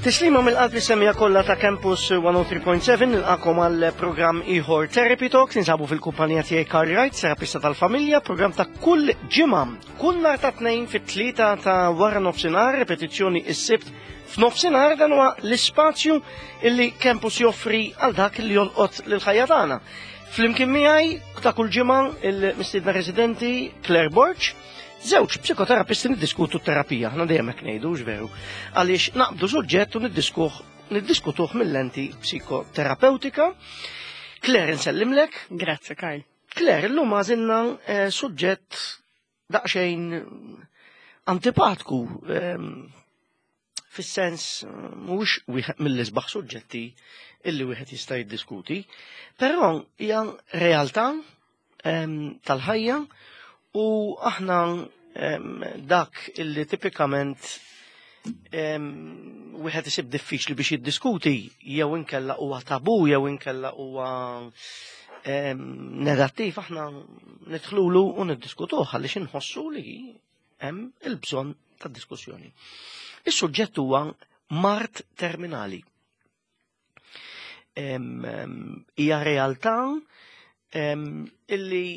Tislima mill-qalb li semija kollha ta' Campus 103.7 nilqakom għal programm ieħor Therapy Talks ninsabu fil-kumpanija tiegħi Carl Wright, terapista tal-familja, programm ta' kull ġimgħa, kull nhar ta' tnejn fit-tlieta ta' wara nofsinhar, repetizzjoni is-sibt f'nofsinhar dan huwa l-ispazju illi Campus joffri għal dak li jolqot lil ħajja tagħna. Flimkien miegħi ta' kull ġimgħa il-mistiedna residenti Claire Borg, Żewġ psikoterapisti niddiskutu t-terapija, aħna dejjem hekk ngħidu, veru. Għaliex naqbdu suġġett u niddiskuh niddiskutuh mill-lenti psikoterapeutika. Claire, nsellimlek. Grazzi, Karl. Claire, illum għażilna eh, suġġett daqsxejn antipatku ehm, fis-sens mhuwiex wieħed mill-isbaħ suġġetti illi wieħed jista' jiddiskuti, però hija realtà ehm, tal-ħajja u aħna ehm, dak illi tipikament ehm, wieħed isib diffiċli biex jiddiskuti jew inkella huwa tabu jew inkella huwa negattiv aħna nidħlulu u niddiskutuh għaliex inħossu li hemm il-bżonn ta' diskussjoni. Is-suġġett huwa mart terminali. Hija realtà illi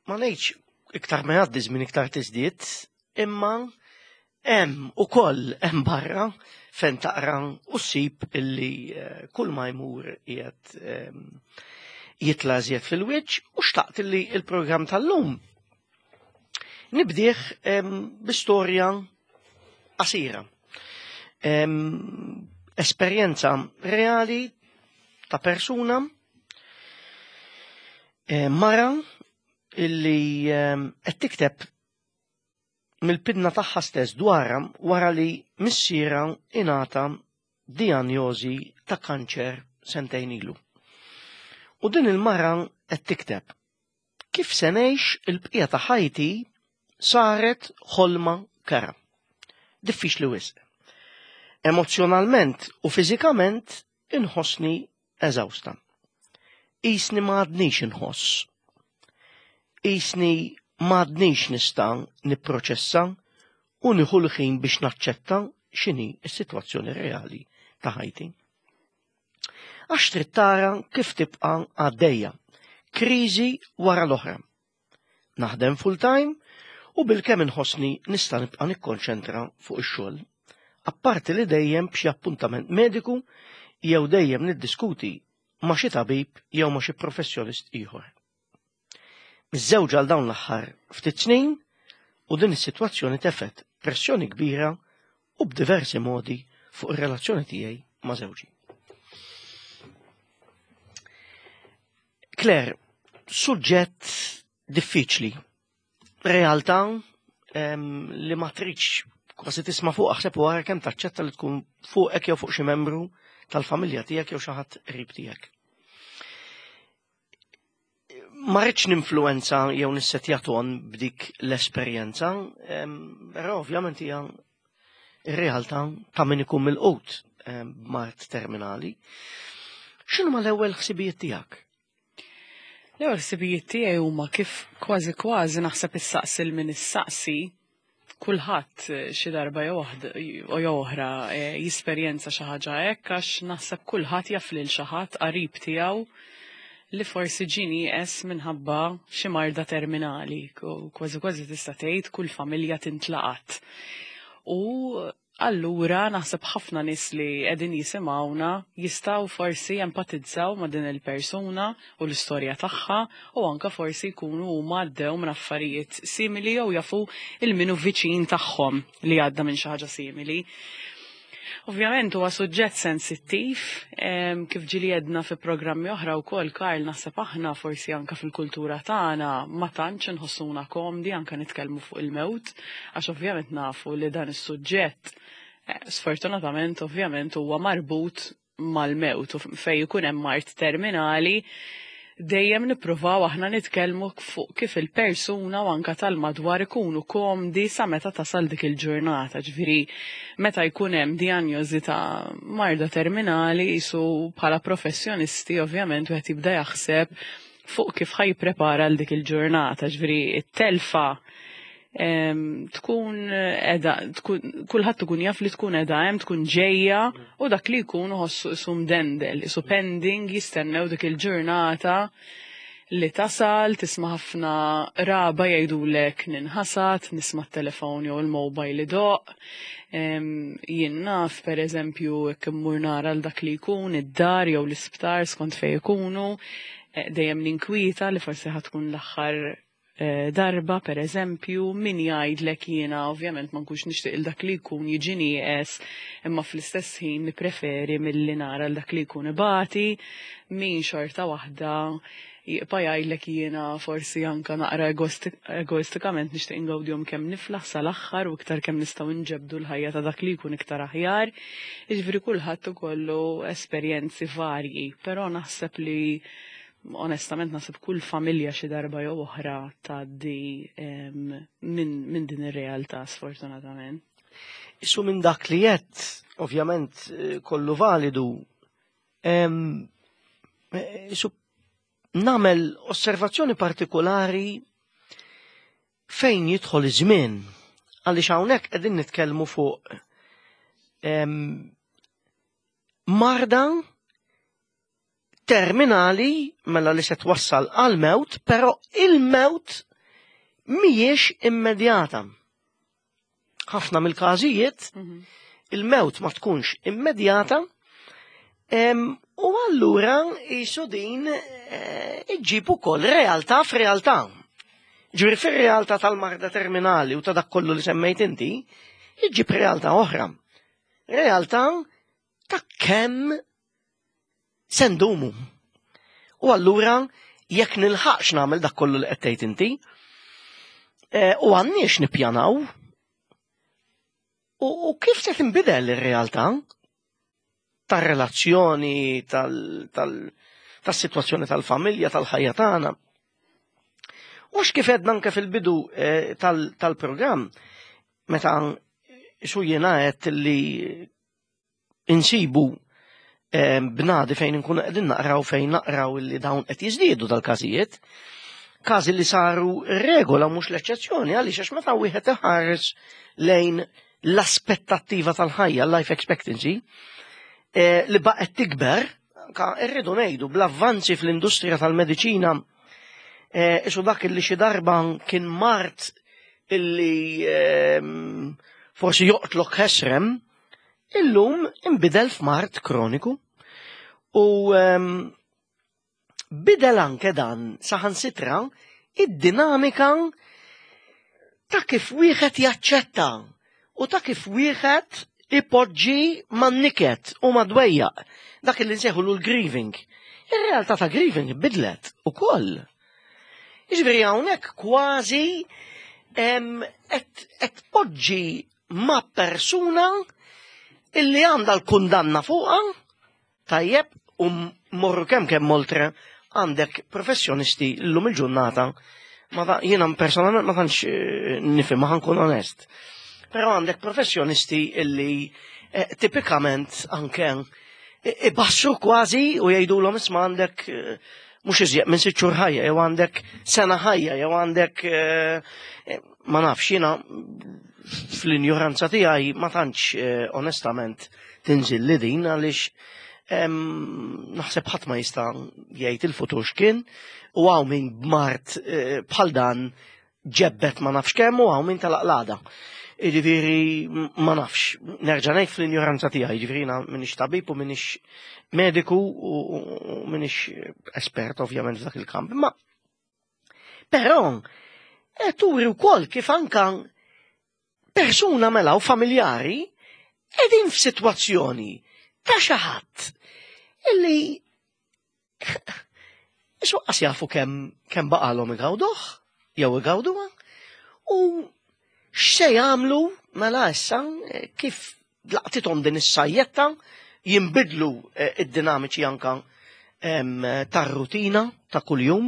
ma ngħidx iktar ma jgħaddi żmien iktar tiżdied, imma hemm ukoll hemm barra fejn taqra u ssib illi eh, kull ma jmur qiegħed jitla' żjed fil-wiċċ u xtaqt illi il-programm tal-lum nibdih bi storja qasira. Esperjenza reali ta' persuna mara illi qed tikteb mill-pinna tagħha stess dwarha wara li missierha ingħata dijanjosi ta' kanċer sentejn ilu. U din il-mara qed tikteb kif se ngħix il-bqija ta' ħajti saret ħolma kara. Diffiċli wisq. Emozzjonalment u fiżikament inħossni eżawsta. Qisni ma għadnix inħoss. Qisni ma għadnix nista' nipproċessa u nieħu l-ħin biex naċċetta x'inhi s-sitwazzjoni reali ta' ħajti. Għax trid tara kif tibqa' għaddejja, kriżi wara l-oħra. Naħdem full-time u bilkemm inħossni nista' nibqa' nikkonċentra fuq ix-xogħol. Apparti li dejjem b'xi appuntament mediku jew dejjem niddiskuti ma' xi tabib jew ma' xi professjonist ieħor. Miżżewġa għal dawn l-aħħar ftit snin u din is-sitwazzjoni tefgħet pressjoni kbira u b'diversi modi fuq ir-relazzjoni tiegħi ma' żewġi. Claire, suġġett diffiċli, realtà li ma tridx kważi tisma' fuq aħseb u ara kemm taċċetta li tkun fuqek jew fuq xi membru tal-familja tiegħek jew xi ħadd qrib tiegħek. Ma rridx ninfluwenza jew nissetja ton b'dik l-esperjenza, però ovvjament hija ir-realtà ta' min ikun mill-qut b'mard terminali. X'inhu ma l-ewwel ħsibijiet tiegħek? L-ewwel ħsibijiet tiegħi huma kif kważi kważi naħseb issaqsi l min issaqsi kulħadd eh, xi darba jew jew oħra eh, jisperjenza xi ħaġa hekk għax naħseb kulħadd jaf lil xi ħadd qarib tiegħu li forsi ġie nieqes minħabba xi marda terminali, kważi kważi tista' tgħid kull familja tintlaqat. U allura naħseb ħafna nies li qegħdin jisimgħuna jistgħu forsi jempatizzaw ma' din il-persuna u l-istorja tagħha u anka forsi jkunu huma għaddew minn affarijiet simili jew jafu il-minu viċin tagħhom li għadda minn xi ħaġa simili. Ovvjament huwa suġġett sensittiv, kif ġieli għedna fi programmi oħra wkoll Karl naħseb aħna forsi anka fil-kultura tagħna ma tantx inħossuna komdi anka nitkellmu fuq il-mewt, għax ovvjament nafu li dan is-suġġett eh, sfortunatament ovvjament huwa marbut mal-mewt u fej ikun hemm mard terminali dejjem nippruvaw aħna nitkellmu fuq kif il-persuna u anka tal-madwar ikunu komdi sa meta tasal dik il-ġurnata. Ġifieri meta jkun hemm dijanjosi ta' marda terminali jisu bħala professjonisti ovvjament wieħed jibda jaħseb fuq kif ħa jipprepara għal dik il-ġurnata. Ġifieri it-telfa. Tkun edha, kulħadd ikun jaf li tkun edha hemm, tkun ġejja u dak li jkun uħossu isu mdendel, isu pending, jistennew dik il-ġurnata li tasal, tisma' ħafna raba jgħidulek ninħasad, nisma' t-telefon jew il-mobile idoqq. Jien naf, per eżempju, jekk immur nara l dak li jkun id-dar jew l-isptar skont fejn ikunu, eh, dejjem ninkwieta li forsi ħatkun l-aħħar eh, darba, per eżempju, min jgħidlek jiena ovvjament ma nkunx nixtieq il dak li jkun jiġi nieqes, imma fl-istess ħin nippreferi milli nara l dak li jkun ibati, min xorta waħda jibqa' jgħidlek jiena forsi anka naqra egoistikament nixtieq ingawdihom kemm niflaħ sal-aħħar u iktar kemm nistgħu nġebdu l-ħajja ta' dak li jkun iktar aħjar. Jiġifieri kulħadd ikollu esperjenzi varji, però naħseb li onestament naħseb kull familja xi darba jew oħra tgħaddi minn din ir-realtà sfortunatament. Issu minn dak li qed, ovvjament eh, kollu validu, eh, isu nagħmel osservazzjoni partikolari fejn jidħol iż-żmien għaliex hawnhekk qegħdin nitkellmu fuq marda terminali mela li se twassal għal mewt, però il-mewt mhijiex immedjata. Ħafna mill-każijiet il-mewt ma tkunx immedjata u allura jisu din eh, iġġib ukoll realtà f'realtà. Ġifieri fir-realtà tal-marda terminali u ta' dak kollu li semmejt inti, iġġib realtà oħra. Realtà ta' kemm se ndumu. U allura jekk nilħaqx nagħmel dak kollu li qed tgħid inti, eh, u għandniex nippjanaw u kif se tinbidel ir-realtà tar-relazzjoni, tas-sitwazzjoni tal-familja, tal-ħajja tagħna. U kif edna anke fil-bidu eh, tal-programm, meta xu jiena għedt li insibu eh, bnadi fejn nkunu qegħdin naqraw fejn naqraw li dawn qed jiżdiedu dal-każijiet, każi li saru regola mhux l-eċċezzjoni għaliex għax meta wieħed iħares lejn l-aspettattiva tal-ħajja, life expectancy, eh, li baqgħet tikber, anka rridu ngħidu bl-avvanzi fl-industrija tal-mediċina eh, isu dak li xi darba kien mart illi ehm, forsi joqtlok ħesrem, illum inbidel f'mart kroniku u ehm, bidel anke dan saħansitra id-dinamika ta' kif wieħed jaċċetta u ta' kif wieħed ipoġġi man-niket u mad-dwejjaq, dak li nsejħu l-grieving. Ir-realtà ta' grieving bidlet ukoll. Jiġifieri hawnhekk kważi qed tpoġġi ma' persuna illi għandha l-kundanna fuqha, tajjeb, u morru kemm kemm oltre għandek professjonisti llum il-ġurnata ma jiena personalment ma tantx eh, nifhem ma ħankun onest. Però għandek professjonisti illi eh, tipikament anke eh, ibassru kważi u jgħidulhom isma' għandek mhux iżjed minn sitt xhur ħajja jew għandek sena ħajja jew għandek ma nafx jiena fl-injoranza tiegħi ma tantx eh, onestament tinżil li din għaliex naħseb ħadd ma jista' jgħid il-futur x'kien u hawn min b'mart eh, bħal dan ġebbet ma nafx kemm u hawn min tal-aqlada. Jiġifieri ma nafx, nerġa' ngħid fl-injoranza tiegħi, jiġifieri jiena m'iniex tabib u m'iniex mediku u m'iniex espert ovvjament f'dak il-kamp, imma Però eh, turi wkoll kif anka persuna mela u familjari qegħdin f'sitwazzjoni ta' xi ħadd illi Isuqqas jafu kemm kemm baqalhom igawduh jew igawduha u x'se jagħmlu mela issa eh, kif laqtithom din is-sajjetta jinbidlu eh, id-dinamiċi anka tar-rutina ta' kuljum.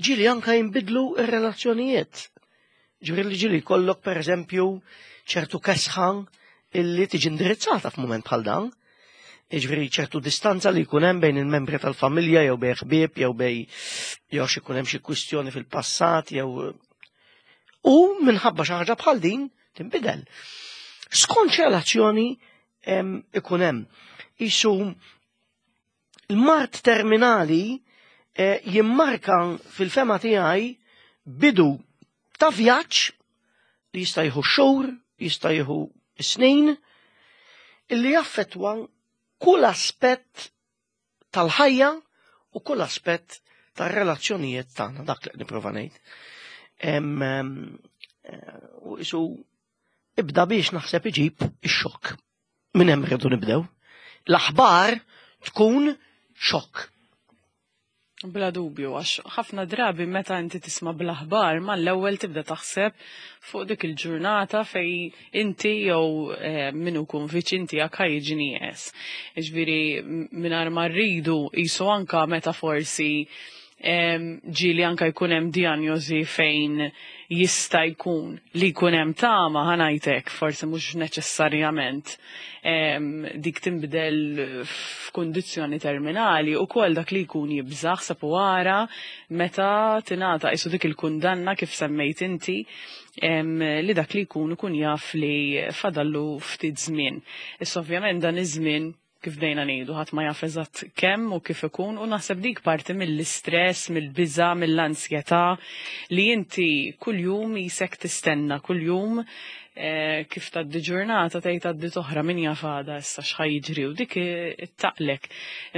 Ġili anka jinbidlu ir-relazzjonijiet. Ġifieri li ġili jkollok pereżempju ċertu kesħa illi tiġi indirizzata f'mument bħal dan. Ġifieri ċertu distanza li jkun hemm bejn il-membri tal-familja jew bejn ħbieb jew bejn jew xi jkun hemm xi kwistjoni fil-passat jew U minħabba xi ħaġa bħal din tinbidel. Skont relazzjoni ikun hemm. Isu l-mart terminali eh, jimmarka fil-fema tiegħi bidu ta' vjaġġ li jista' jieħu xhur, jista' jieħu snin, illi jaffettwa kull aspett tal-ħajja u kull aspett tar-relazzjonijiet tagħna, dak li nipprova ngħid. Eh, u isu ibda biex naħseb iġib ix-xokk. Minn hemm rridu nibdew. L-aħbar tkun xokk. Bla dubju, għax ħafna drabi meta inti tisma' bl-aħbar mal-ewwel tibda taħseb fuq dik il-ġurnata fej inti jew eh, min ikun viċin tiegħek ħa jiġi nieqes. Jiġifieri mingħajr ma rridu qisu anka meta forsi ġieli anka jkun hemm dijanjosi fejn jista' jkun li jkun hemm tama ħa ngħidlek, forsi mhux neċessarjament dik tinbidel f'kundizzjoni terminali u kol dak li jkun jibżaħ sapu wara meta tingħata qisu dik il-kundanna kif semmejt inti li dak li jkun ikun jaf li fadallu ftit żmien. Issa ovvjament dan iż-żmien kif bdejna ngħidu ħadd ma jaf eżatt kemm u kif ikun u naħseb dik parti mill-istress, mill-biża, mill-ansjetà li inti kuljum jisek tistenna, kuljum eh, kif tgħaddi ġurnata tgħid tgħaddi toħra min jaf għada issa x'ħa jiġri u dik ittaqlek.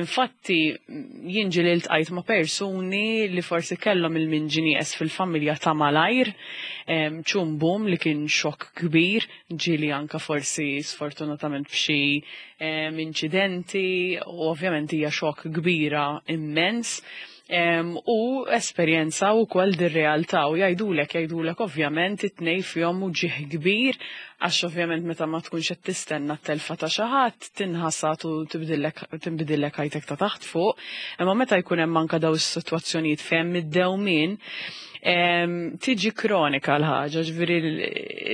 Infatti jien ġieli ltqajt ma' persuni li forsi kellhom il-min ġie nieqes fil-familja ta' malajr, ċumbum li kien xokk kbir, ġieli anka forsi sfortunatament b'xi inċidenti u ovvjament hija xokk kbira immens. U esperjenza u kol dir-realtà u jgħidulek jgħidulek ovvjament it-tnej fihom uġigħ kbir għax ovvjament meta ma tkunx qed tistenna t-telfa ta' xi ħadd tinħasad u tibdillek tinbidillek ħajtek ta' taħt fuq, imma meta jkun hemm anka daw is-sitwazzjonijiet fejn id-dewmien tiġi kronika l-ħaġa, ġifieri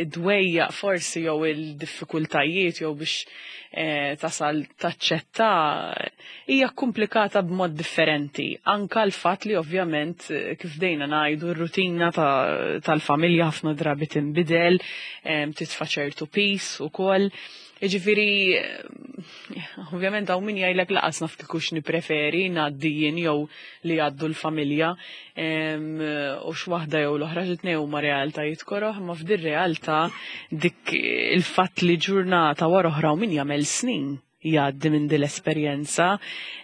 id-dwejjaq forsi jew il-diffikultajiet jew biex tasal taċċetta hija komplikata b'mod differenti. Anka l-fatt li ovvjament kif dejna ngħidu r-rutina tal-familja ħafna drabi tinbidel, titfa' ċertu piż ukoll. Jiġifieri, ovvjament hawn min jgħidlek laqas naf kieku nippreferi ngħaddi jien jew li jgħaddu l-familja u x'waħda jew l-oħra xi huma realtajiet koroh, ma f'dir realtà dik il-fatt li ġurnata wara oħra u min jagħmel snin jgħaddi minn din l-esperjenza,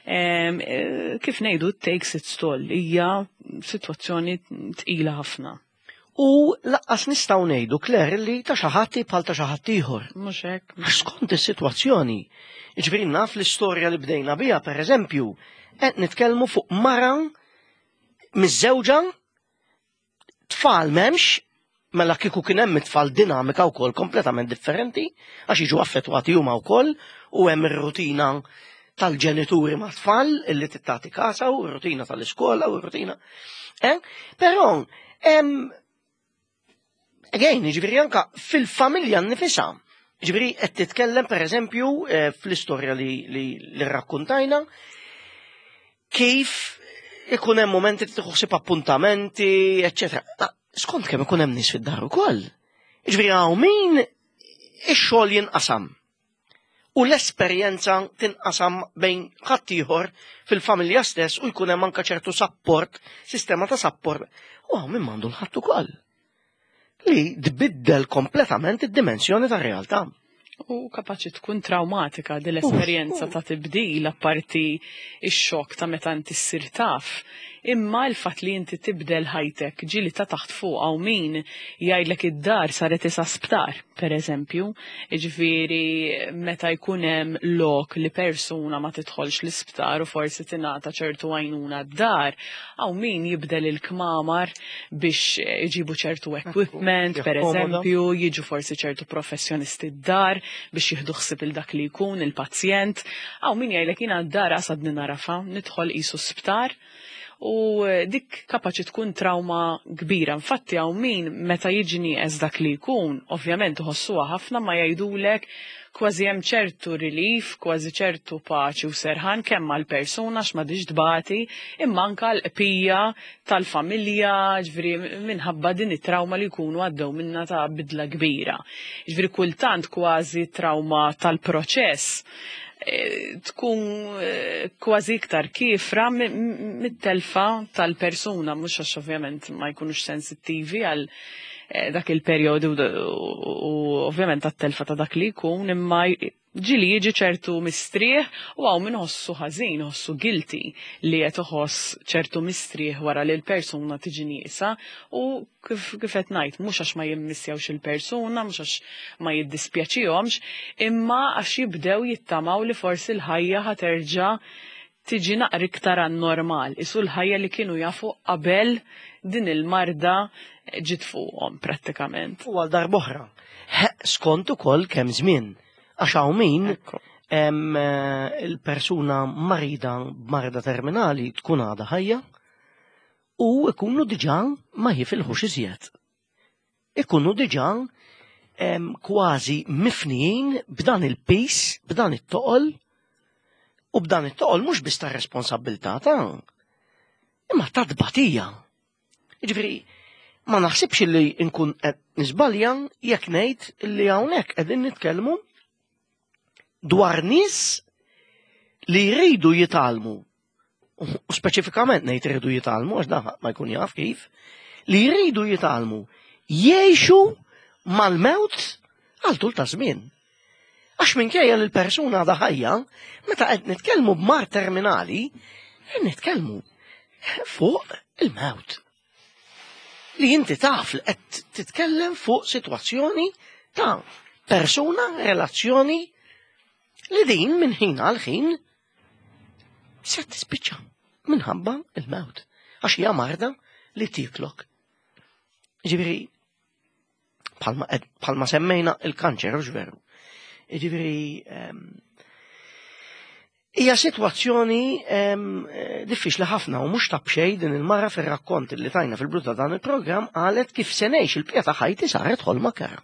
kif ngħidu takes its toll, hija sitwazzjoni tqila ħafna. U lanqas nistgħu ngħidu Claire li ta' xi ħadd bħal ta' xi ħadd ieħor. Mhux hekk. Għax skont is-sitwazzjoni. Jiġifieri naf l-istorja li bdejna biha pereżempju, qed nitkellmu fuq mara miżżewġa tfal m'hemmx, mela kieku kien hemm it-tfal dinamika wkoll kompletament differenti, għax jiġu affettwati huma wkoll u hemm ir-rutina tal-ġenituri ma' tfal illi tittati kasa u r-rutina tal-iskola u r-rutina. Eh? Però again, ġifieri anka fil-familja nifisha. Ġifieri qed titkellem pereżempju fl-istorja li rrakkuntajna kif ikun hemm momenti li tieħu appuntamenti, eċċetera. Skont kemm ikun hemm nies fid-dar ukoll. Ġifieri hawn min ix-xogħol jinqasam. U l-esperjenza tinqasam bejn ħaddieħor fil-familja stess u jkun hemm anke ċertu support, sistema ta' support. U hawn min m'għandu l-ħadd ukoll. Li tbiddel kompletament id-dimensjoni tar-realtà. U kapaċi tkun traumatika din l-esperjenza ta' tibdil apparti ix-xokk ta' meta inti ssir taf. Imma l-fatt li inti tibdel ħajtek ġieli ta' taħt fuq hawn min jgħidlek id-dar saret isa sptar, per eżempju. Jiġifieri meta jkun hemm lok li persuna ma tidħolx l-isptar u forsi tingħata ċertu għajnuna d-dar, hawn min jibdel il-kmamar biex iġibu ċertu equipment, per eżempju, jiġu forsi ċertu professjonisti d-dar biex jieħdu ħsieb il dak li jkun il-pazjent. Hawn min jgħidlek jiena d-dar għadni nagħrafha, nidħol qisu sptar u dik kapaċi tkun trauma kbira. Infatti hawn min meta jiġi nieqes dak li jkun, ovvjament iħossuha ħafna ma jgħidulek. Kważi hemm ċertu relief, kważi ċertu paċi u serħan kemm għall-persuna għax m'għadhiex tbati, imma anke għall-qbija tal-familja, ġifieri minħabba din it-trawma li jkunu għaddew minnha ta' bidla kbira. Ġifieri kultant kważi trawma tal-proċess tkun kważi iktar kiefra mit-telfa tal-persuna, mhux għax ovvjament ma jkunux sensittivi għal dak il-perjodu u ovvjament għat-telfa ta' dak li jkun, imma ġieli jiġi ċertu mistrieħ u hawn min iħossu ħażin, iħossu guilty li qed iħoss ċertu mistrieħ wara li l-persuna tiġi nieqsa u kif qed ngħid, mhux għax ma jimmissjawx il-persuna, mhux għax ma jiddispjaċihomx, imma għax jibdew jittamaw li forsi l-ħajja ħa terġa' tiġi naqra iktar għan-normal, isu l-ħajja li kienu jafu qabel din il-marda ġiet fuqhom prattikament. U għal darb'oħra, skont ukoll kemm żmien, għax hawn min il-persuna marida b'marda terminali tkun għadha ħajja u ikunu diġà ma jifilħux iżjed. Ikunu diġà kważi mifnijin b'dan il-pis, b'dan it-toqol, u b'dan it-toqol mhux biss ta' responsabilità ta' imma ta' tbatija. Jiġifieri, ma naħsibx li nkun qed niżbalja jekk ngħid li hawnhekk qegħdin nitkellmu dwar nies li jridu jitgħallmu, u speċifikament ngħid iridu jitgħallmu għax dan ma jkun jaf kif, li jridu jitgħallmu jgħixu mal-mewt għal tul ta' żmien. Għax minkejja li l-persuna għadha ħajja, meta qed nitkellmu b'mard terminali, qed nitkellmu fuq il-mewt. Li inti taf li qed titkellem fuq sitwazzjoni ta' persuna, relazzjoni li din minn ħin għal ħin se tispiċċa minħabba il-mewt. Għax hija marda li tiklok. Ġifieri, bħalma semmejna il-kanċer, hux veru. Ġifieri, hija sitwazzjoni diffiċli ħafna u mhux ta' b'xejn din il-mara fir-rakkont li tajna fil-bidu ta' dan il-programm qalet kif se ngħix il-bqija ta' ħajti saret ħolma kerha.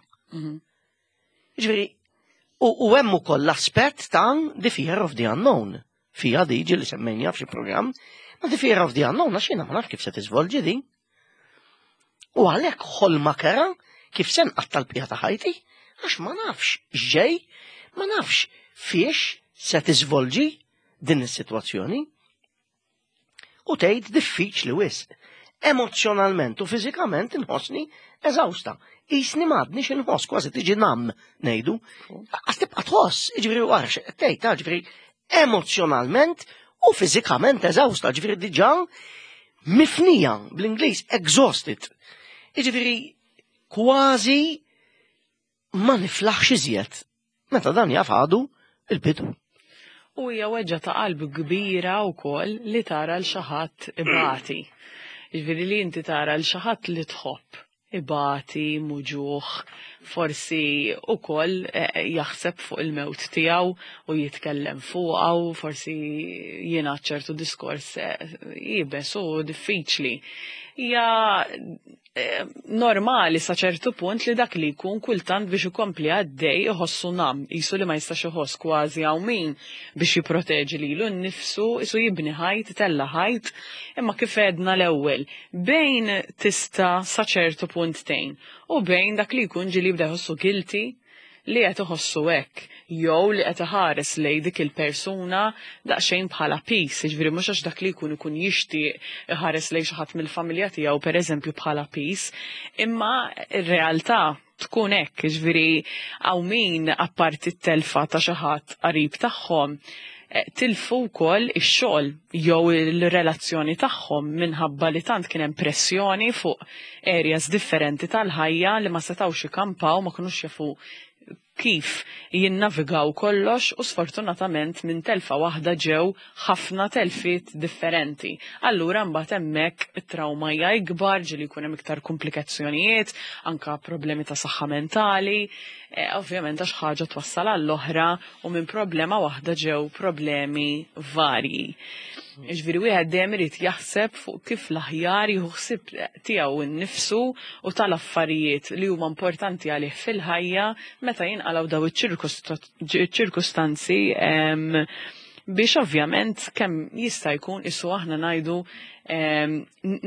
Ġifieri, u hemm ukoll l-aspett ta' the fear of the unknown. Fija diġi li semmejnija f'xi programm, ma the fear of the unknown għax jiena ma nafx kif se tiżvolġi din. U għalhekk ħolma kerha kif se nqatta' l-bqija ta' ħajti, għax ma nafx x'ġej, ma nafx fiex se tiżvolġi din is-sitwazzjoni. U tgħid diffiċli wisq. Emozzjonalment u fiżikament inħossni eżawsta. Qisni m'għadniex inħoss, kważi tiġi nam ngħidu. Għas tibqa' tħoss, jiġifieri wara xi qed tgħid, ġifieri emozjonalment u fiżikament eżawsta, ġifieri diġà mifnija bl-Ingliż exhausted. Jiġifieri kważi ma niflaħx iżjed. Meta dan jaf għadu il-bidu. U hija weġġa ta' qalb kbira wkoll li tara l xi ħadd ibati. Jiġifieri li inti tara l xi ħadd li tħobb ibati, muġugħ, forsi ukoll jaħseb fuq il-mewt tiegħu u jitkellem fuqha u forsi jingħad ċertu diskors iebes u diffiċli. Hija normali sa ċertu punt li dak li jkun kultant biex ikompli għaddej iħossu nam, qisu li ma jistax iħoss kważi hawn min biex jipproteġi lilu nnifsu, qisu jibni ħajt, itella' ħajt, imma kif għedna l-ewwel, bejn tista' sa ċertu punt tgħin u bejn dak li jkun ġieli jibda jħossu guilty li qed iħossu hekk jew li qed iħares lejn dik il-persuna daqsxejn bħala piż, jiġifieri mhux għax dak li jkun ikun jixtieq iħares lejn xi ħadd mill-familja tiegħu pereżempju bħala piż, imma r-realtà tkun hekk, jiġifieri hawn min apparti t-telfa ta' xi ħadd qarib tagħhom tilfu wkoll ix-xogħol jew il-relazzjoni tagħhom minħabba li tant kien hemm pressjoni fuq areas differenti tal-ħajja li ma setgħux ikampaw, ma kinux jafu kif jinnavigaw kollox u sfortunatament minn telfa waħda ġew ħafna telfiet differenti. Allura mbagħad hemmhekk it-trauma hija ikbar, ġieli jkun hemm iktar komplikazzjonijiet, anka problemi ta' saħħa mentali, ovvjament għax ħaġa twassal għall-oħra u minn problema waħda ġew problemi varji. Ġifieri wieħed dejjem irid jaħseb fuq kif l-aħjar jieħu ħsieb tiegħu nnifsu u tal-affarijiet li huma importanti għalih fil-ħajja meta jinqalgħu daw iċ-ċirkustanzi biex ovvjament kemm jista' jkun isu aħna ngħidu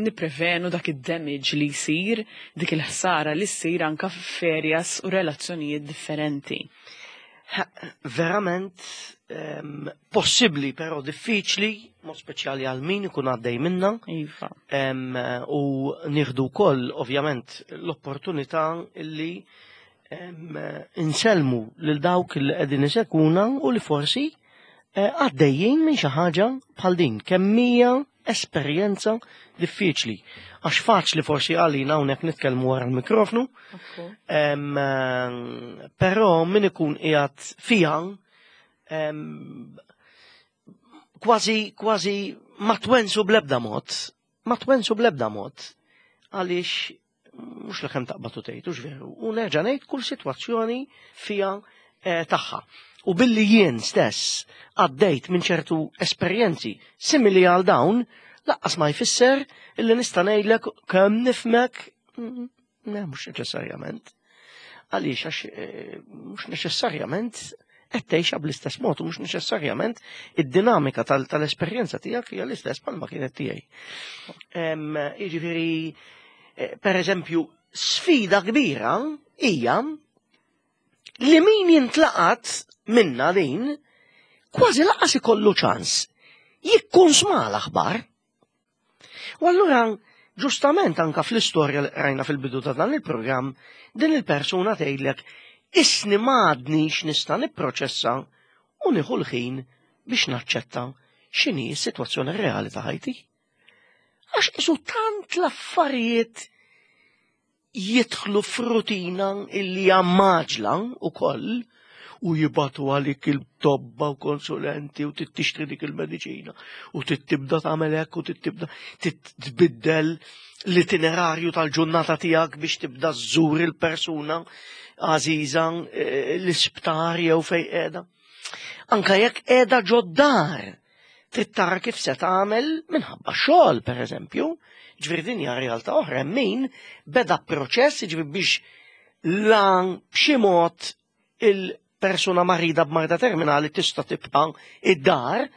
nipprevenu dak id-damage li jsir, dik il-ħsara li ssir anka f'areas u relazzjonijiet differenti. Verament possibbli però diffiċli, mod speċjali għal min ikun għaddej minna. Iva. U nieħdu wkoll ovvjament l-opportunità li insellmu lil dawk li qegħdin isegwuna u li forsi għaddejjin minn xi ħaġa bħal din. Kemm hija esperjenza diffiċli. Għax faċli forsi għalina hawnhekk nitkellmu wara l-mikrofnu, però min ikun qiegħed fiha kważi kważi ma twensu bl-ebda mod, ma twensu bl-ebda mod, għaliex mhux li kemm taqbad u tgħid, hux veru. U nerġa' ngħid kull sitwazzjoni fiha tagħha. U billi jien stess għaddejt minn ċertu esperjenzi simili għal dawn, laqqas ma jfisser illi nista' ngħidlek kemm nifmek, le, mhux neċessarjament. Għaliex għax mhux neċessarjament qed tgħixha bl-istess mod u mhux neċessarjament id-dinamika tal-esperjenza tiegħek hija l-istess bħalma kienet tiegħi. Jiġifieri, per eżempju, sfida kbira hija li min jintlaqat minna din kważi laqas ikollu ċans jikkunsma l-aħbar. U allura, ġustament anka fl-istorja li rajna fil-bidu ta' dan il-programm, din il-persuna tgħidlek isni m'għadnix nista' nipproċessa u nieħu l-ħin biex naċċetta x'inhi s-sitwazzjoni reali ta' ħajti. Għax isu tant l-affarijiet jidħlu f'rutina illi hija maġla wkoll u jibatu għalik il-tobba u konsulenti u tixtri dik il-mediċina u tibda tagħmel hekk u tibda tbiddel l-itinerarju tal-ġurnata tiegħek biex tibda żżur il-persuna għażiża l-isptar jew fejn qiegħda. Anka jekk qiegħda ġod-dar, trid tara kif se tagħmel minħabba xogħol pereżempju. Ġifieri din hija realtà oħra hemm min beda proċess ġifieri biex lan b'xi mod il-persuna marida b'marda terminali tista' tibqa' id-dar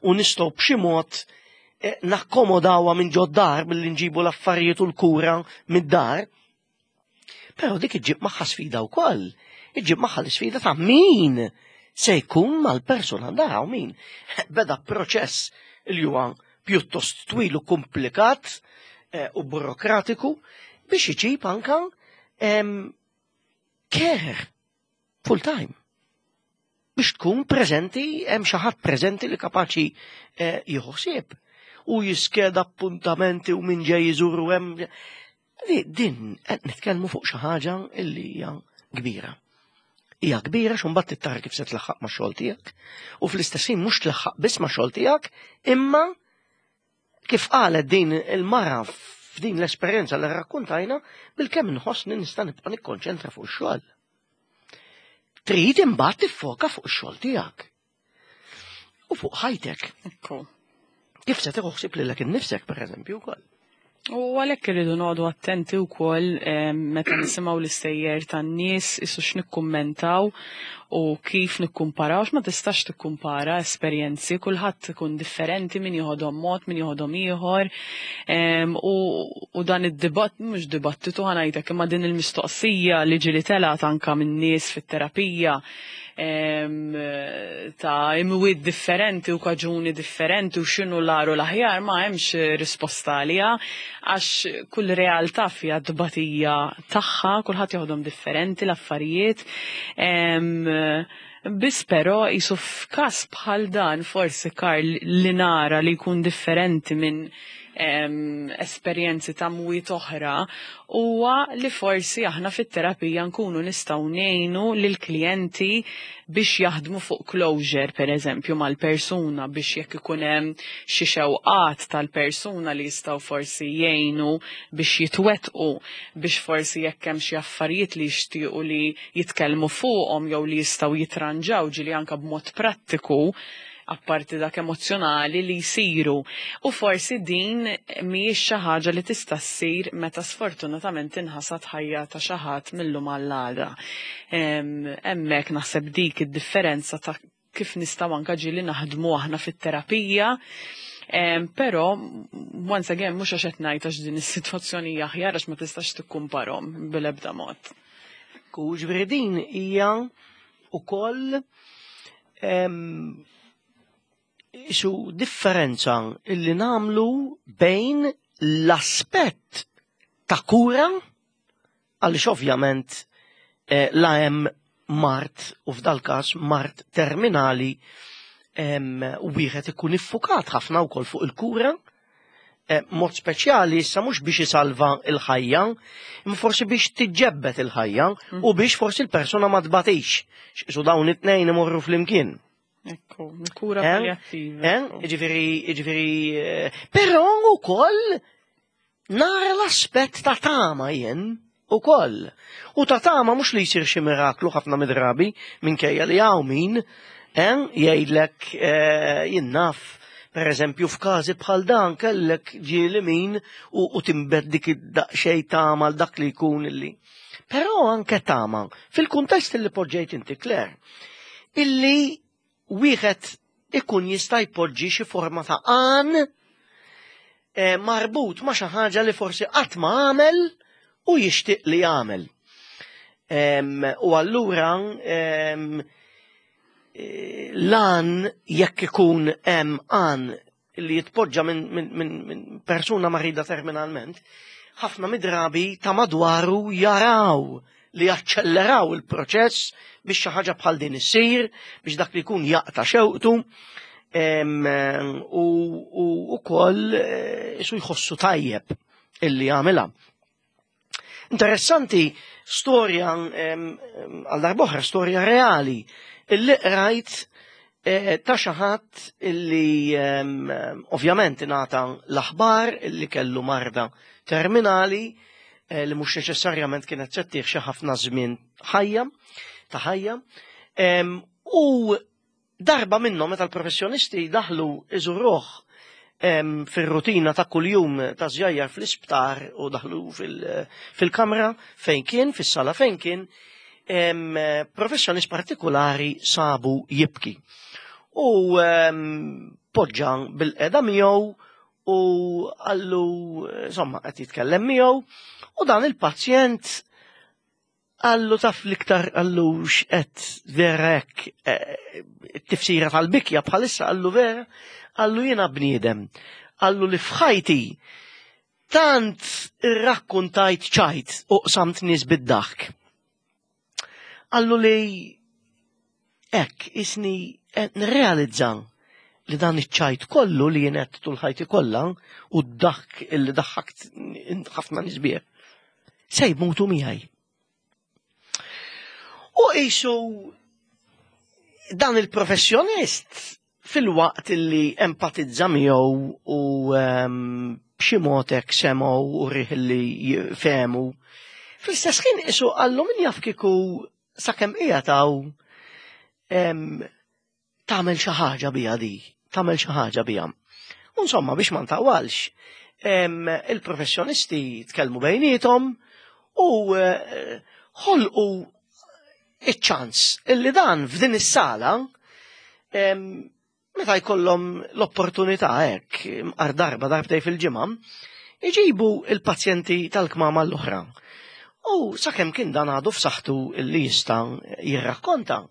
u nistgħu b'xi mod nakkomodawha minn ġod-dar billi nġibu l-affarijiet u l-kura mid-dar. Però dik iġġib magħha sfida wkoll. Iġġib magħha l-isfida ta' min se jkun mal-persuna dara u min beda proċess li huwa pjuttost twil u komplikat u burokratiku biex iġib anka care full time. Biex tkun preżenti, hemm xi ħadd preżenti li kapaċi jieħu ħsieb u jiskeda appuntamenti u min ġej iżuru hemm. Din qed nitkellmu fuq xi ħaġa illi hija kbira. Hija kbira x'u mbagħad tara kif se tlaħħaq ma' xogħol tiegħek u fl-istess ħin mhux tlaħħaq biss ma' xogħol tiegħek, imma kif qalet din il-mara f'din l-esperjenza li rrakkuntajna, bilkemm inħossni nista' nibqa' nikkonċentra fuq ix-xogħol. Trid imbagħad tiffoka fuq ix-xogħol tiegħek. U fuq ħajtek. Kif se tieħu ħsieb lilek innifsek pereżempju wkoll. U għalhekk irridu noqogħdu attenti wkoll meta nisimgħu l-istejjer tan-nies isu x'nikkummentaw u kif nikkumparaw, ma tistax tikkumpara esperjenzi, kulħadd ikun differenti, min joħodhom mod, min joħodhom ieħor. U dan id-dibatt, mhux dibattitu ħa ngħidlek, imma din il-mistoqsija li ġieli telgħet anka minn nies fit-terapija ta' imwiet differenti u kaġuni differenti u x'inhu l-agħar u l-aħjar, ma hemmx risposta għaliha, għax kull realtà fiha tbatija tagħha, kulħadd joħodhom differenti l-affarijiet. Biss però jisu f'każ bħal dan forsi Karl li nara li jkun differenti minn esperjenzi ta' mwiet oħra huwa li forsi aħna fit-terapija nkunu nistgħu ngħinu lill-klijenti biex jaħdmu fuq closure per eżempju mal-persuna, biex jekk ikun hemm xi xewqat tal-persuna li jistgħu forsi jgħinu biex jitwettqu, biex forsi jekk hemm xi affarijiet li jixtiequ li jitkellmu fuqhom jew li jistgħu jitranġaw ġieli anke b'mod prattiku. apparti dak emozzjonali li jsiru. U forsi din mhijiex xi ħaġa li tista' ssir meta sfortunatament tinħasad ħajja ta' xi ħadd mil-lum għall-għada. Hemmhekk naħseb dik id-differenza ta' kif nistgħu anke ġieli naħdmu aħna fit-terapija. Però, once again, mhux għax qed ngħid għax din is-sitwazzjoni hija aħjar għax ma tistax tikkumparhom bil-ebda mod. Ekku, ġifieri din hija ukoll isu differenza illi namlu bejn l-aspett ta' kura għaliex ovvjament eh, la hemm mart u f'dal-każ mart terminali wieħed ikun iffukat ħafna wkoll fuq il-kura eh, mod speċjali issa mhux biex isalva l-ħajja, imma forsi biex tiġġebbet il-ħajja u mhm. biex forsi l-persuna ma tbatix. X'isu dawn it-tnejn imorru flimkien. Ekku, kura eh? palliattiva. Eh? Ġifieri, ġifieri, però ukoll Nara l-aspett ta' tama jien ukoll. U ta' tama mhux li jsir xi miraklu ħafna mid-drabi minkejja li hawn min eh, jgħidlek eh, jien naf per eżempju f'każi bħal dan kellek ġieli min u, u timbed dik id-daqsxejn tama għal dak li jkun illi. Però anke tama fil-kuntest li poġġejt inti Claire, illi wieħed ikun jista' jpoġġi xi forma ta' għan eh, marbut ma' xi ħaġa li forsi qatt ma għamel u jixtieq li jagħmel. U allura eh, l-għan jekk ikun hemm għan li jitpoġġa minn min, min, min persuna marida terminalment, ħafna midrabi ta' madwaru jaraw li jaċċelleraw il-proċess biex xi ħaġa bħal din issir, biex dak li jkun jaqta' xewqtu u wkoll eh, isu jħossu tajjeb illi jagħmilha. Interessanti storja għal darboħra storja reali illi qrajt eh, ta' xi ħadd illi ovvjament ingħata l-aħbar illi kellu marda terminali eh, li mhux neċessarjament kienet se xi ħafna żmien ħajja ta' ħajja. U Darba minnhom meta l-professjonisti daħlu iżuruh fir-rutina ta' kuljum ta' żjajjar fl-isptar u daħlu fil-kamra fejn kien, fis-sala fejn kien, professjonist partikolari sabu jibki. U poġġa bil-qeda miegħu u għallu, insomma, qed jitkellem miegħu u dan il-pazjent Qallu taf l-iktar qallu x'qed vera hekk eh, it-tifsira tal-bikja bħalissa qallu vera qallu jiena bniedem. Qallu li f'ħajti tant irrakkuntajt ċajt u qsamt nies bid-daħk. Qallu li hekk isni nirrealizza li dan iċ-ċajt kollu li jien għedt tul ħajti kollha u d-daħk illi daħħakt ħafna nies bih se jmutu miegħi. U qisu dan il-professjonist fil-waqt li empatizza miegħu u ehm, b'xi mod hekk semgħu u rih li fehmu. Fl-istess ħin qisu qallu min jaf kieku sakemm qiegħed hawn ehm, tagħmel xi ħaġa biha di, tagħmel xi ħaġa biha. U insomma biex ma ntawalx, il-professjonisti tkellmu bejniethom u eh, ħolqu iċ-ċans illi dan f'din is-sala meta jkollhom l-opportunità hekk mqar darba darbtej fil-ġimgħa, iġibu il-pazjenti tal-kmama l-oħra. U sakemm kien dan għadu f'saħħtu li jista' jirrakkonta,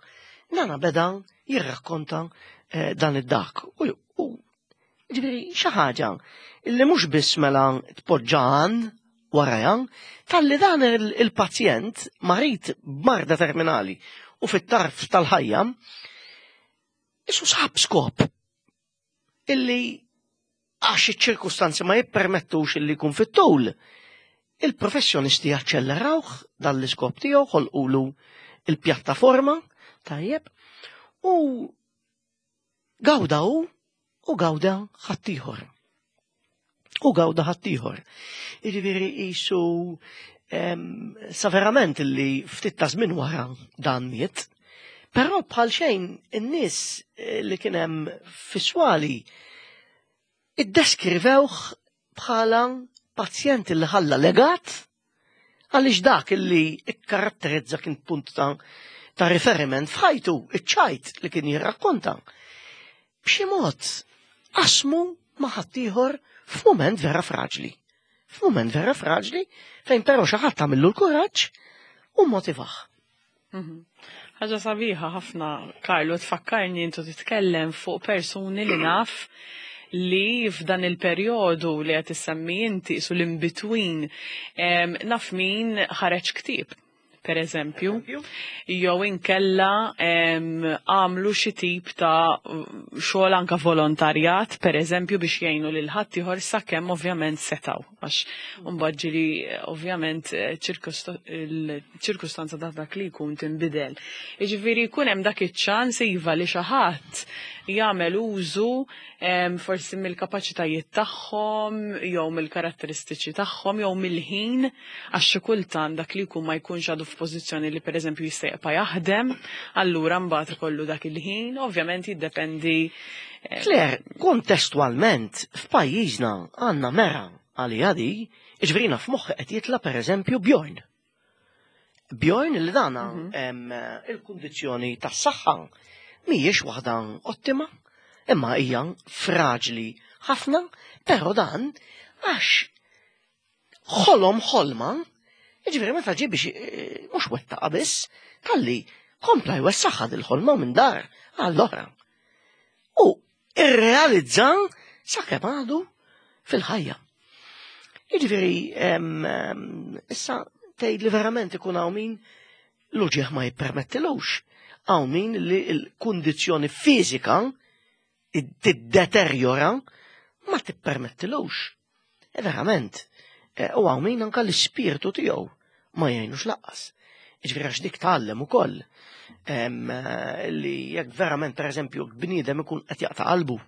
nana beda jirrakkonta eh, dan id-dak. U ġifieri xi ħaġa li mhux biss mela tpoġġan warajha, talli dan il-pazjent marid b'marda terminali u fit-tarf tal-ħajja, isu sab skop illi għax iċ-ċirkustanzi ma jippermettux illi jkun fit-tul, il-professjonisti jaċċellerawh dan l-iskop tiegħu ħolqulu il-pjattaforma tajjeb u gawda hu u gawda ħaddieħor. U gawda ħaddieħor. Jiġifieri qisu sa verament li ftit ta' żmien wara dan miet, Però bħal xejn in-nies li kien hemm fiswali iddeskrivewh bħala pazjent li ħalla legat għaliex dak li ikkaratterizza kien punt ta', ta riferiment f'ħajtu, iċ-ċajt li kien jirrakkonta. B'xi mod qasmu ma' ħaddieħor f'mument vera fraġli. F'mument vera fraġli fejn però xi ħadd għamillu l-kuraġġ u motivah. Ħaġa sabiħa ħafna, Karlu, tfakkarni intu titkellem fuq persuni li naf li f'dan il-perjodu li qed issemmi inti su l-in-between, naf min ħareġ ktieb, per eżempju, jew inkella għamlu xi tip ta' xogħol anka volontarjat, per eżempju, biex jgħinu lil ħaddieħor sakemm ovvjament setaw. Għax mbagħad ġieli ovvjament il-ċirkustanza ta' dak li jkun tinbidel. Jiġifieri jkun hemm dak iċ-ċans iva li xi ħadd jagħmel użu forsi mill-kapaċitajiet tagħhom jew mill-karatteristiċi tagħhom jew mill-ħin, għax xi kultant dak li jkun ma jkunx għadu f'pożizzjoni li pereżempju jista' jibqa' jaħdem, allura mbagħad ikollu dak il-ħin, ovvjament jiddependi. Claire, kontestwalment f'pajjiżna għandna mera għalija di, jiġifieri f'moħħi qed jitla' pereżempju Bjorn. Bjorn li dana il-kundizzjoni tas-saħħa mhijiex waħda ottima, imma hija fraġli ħafna, però dan għax ħolom ħolma, jiġifieri meta ġie biex mhux wettaqa biss, talli kompla jwessaħħa dil-ħolma minn dar għall-oħra. U irrealizza sakemm għadu fil-ħajja. Jiġifieri issa tgħid li verament ikun hawn min l-uġieħ ma jippermettilux, hawn min li l-kundizzjoni fiżika tiddeterjora ma tippermettilux. E verament, u hawn min anka l-ispirtu tiegħu ma jgħinux laqqas. Jiġifieri għax dik tgħallem ukoll li jekk verament pereżempju bniedem ikun qed jaqta' qalbu,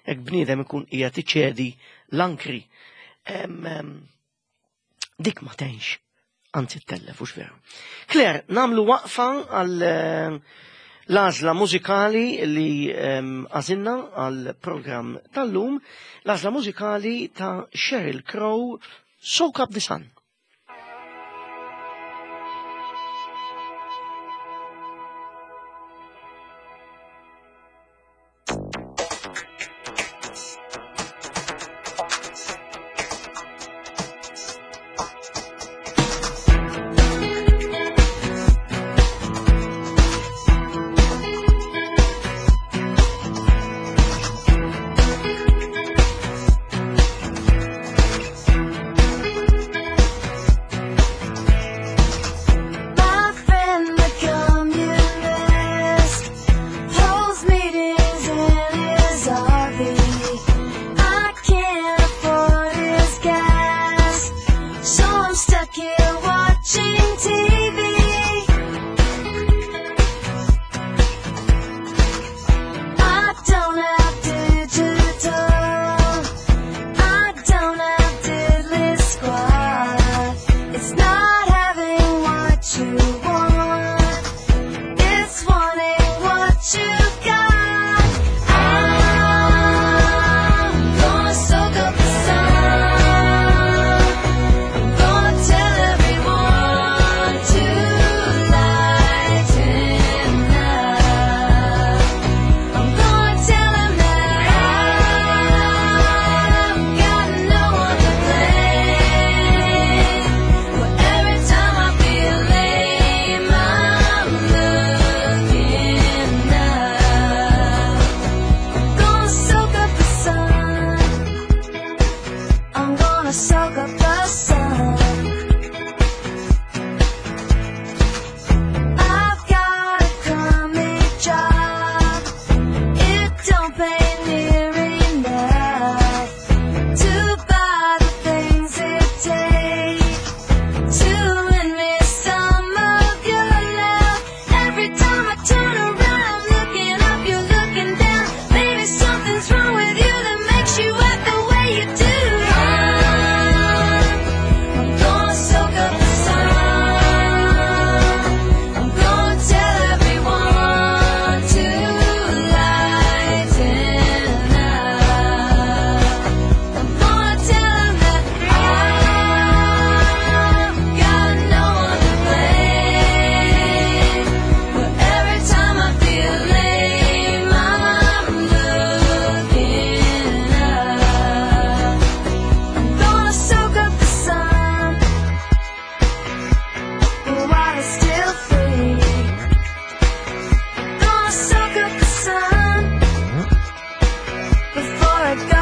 jekk bniedem ikun qiegħed iċedi l-ankri, dik ma tgħinx, anzi ttellef, hux veru. Claire, nagħmlu waqfa għal l-għażla mużikali li għażilna għal programm tal-lum, l-għażla mużikali ta' Sheryl Crow, Soak Up the Sun.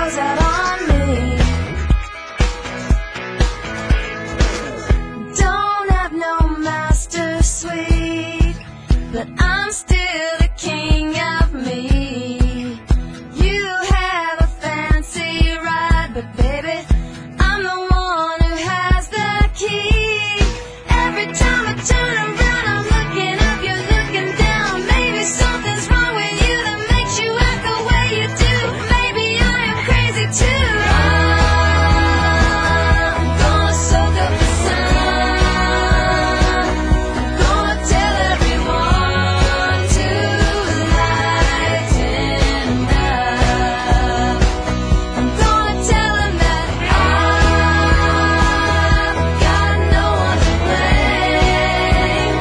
goes out on me. Don't have no master suite, but I'm still the king of me. You have a fancy ride, but baby, I'm the one who has the key. Every time I turn around, I'm looking up, you're looking down. Maybe something's wrong with you that makes you act the way you do. Maybe I am crazy too. I'm gonna soak up the sun. I'm gonna tell everyone to lighten up. I'm gonna tell 'em that I've got no one to blame.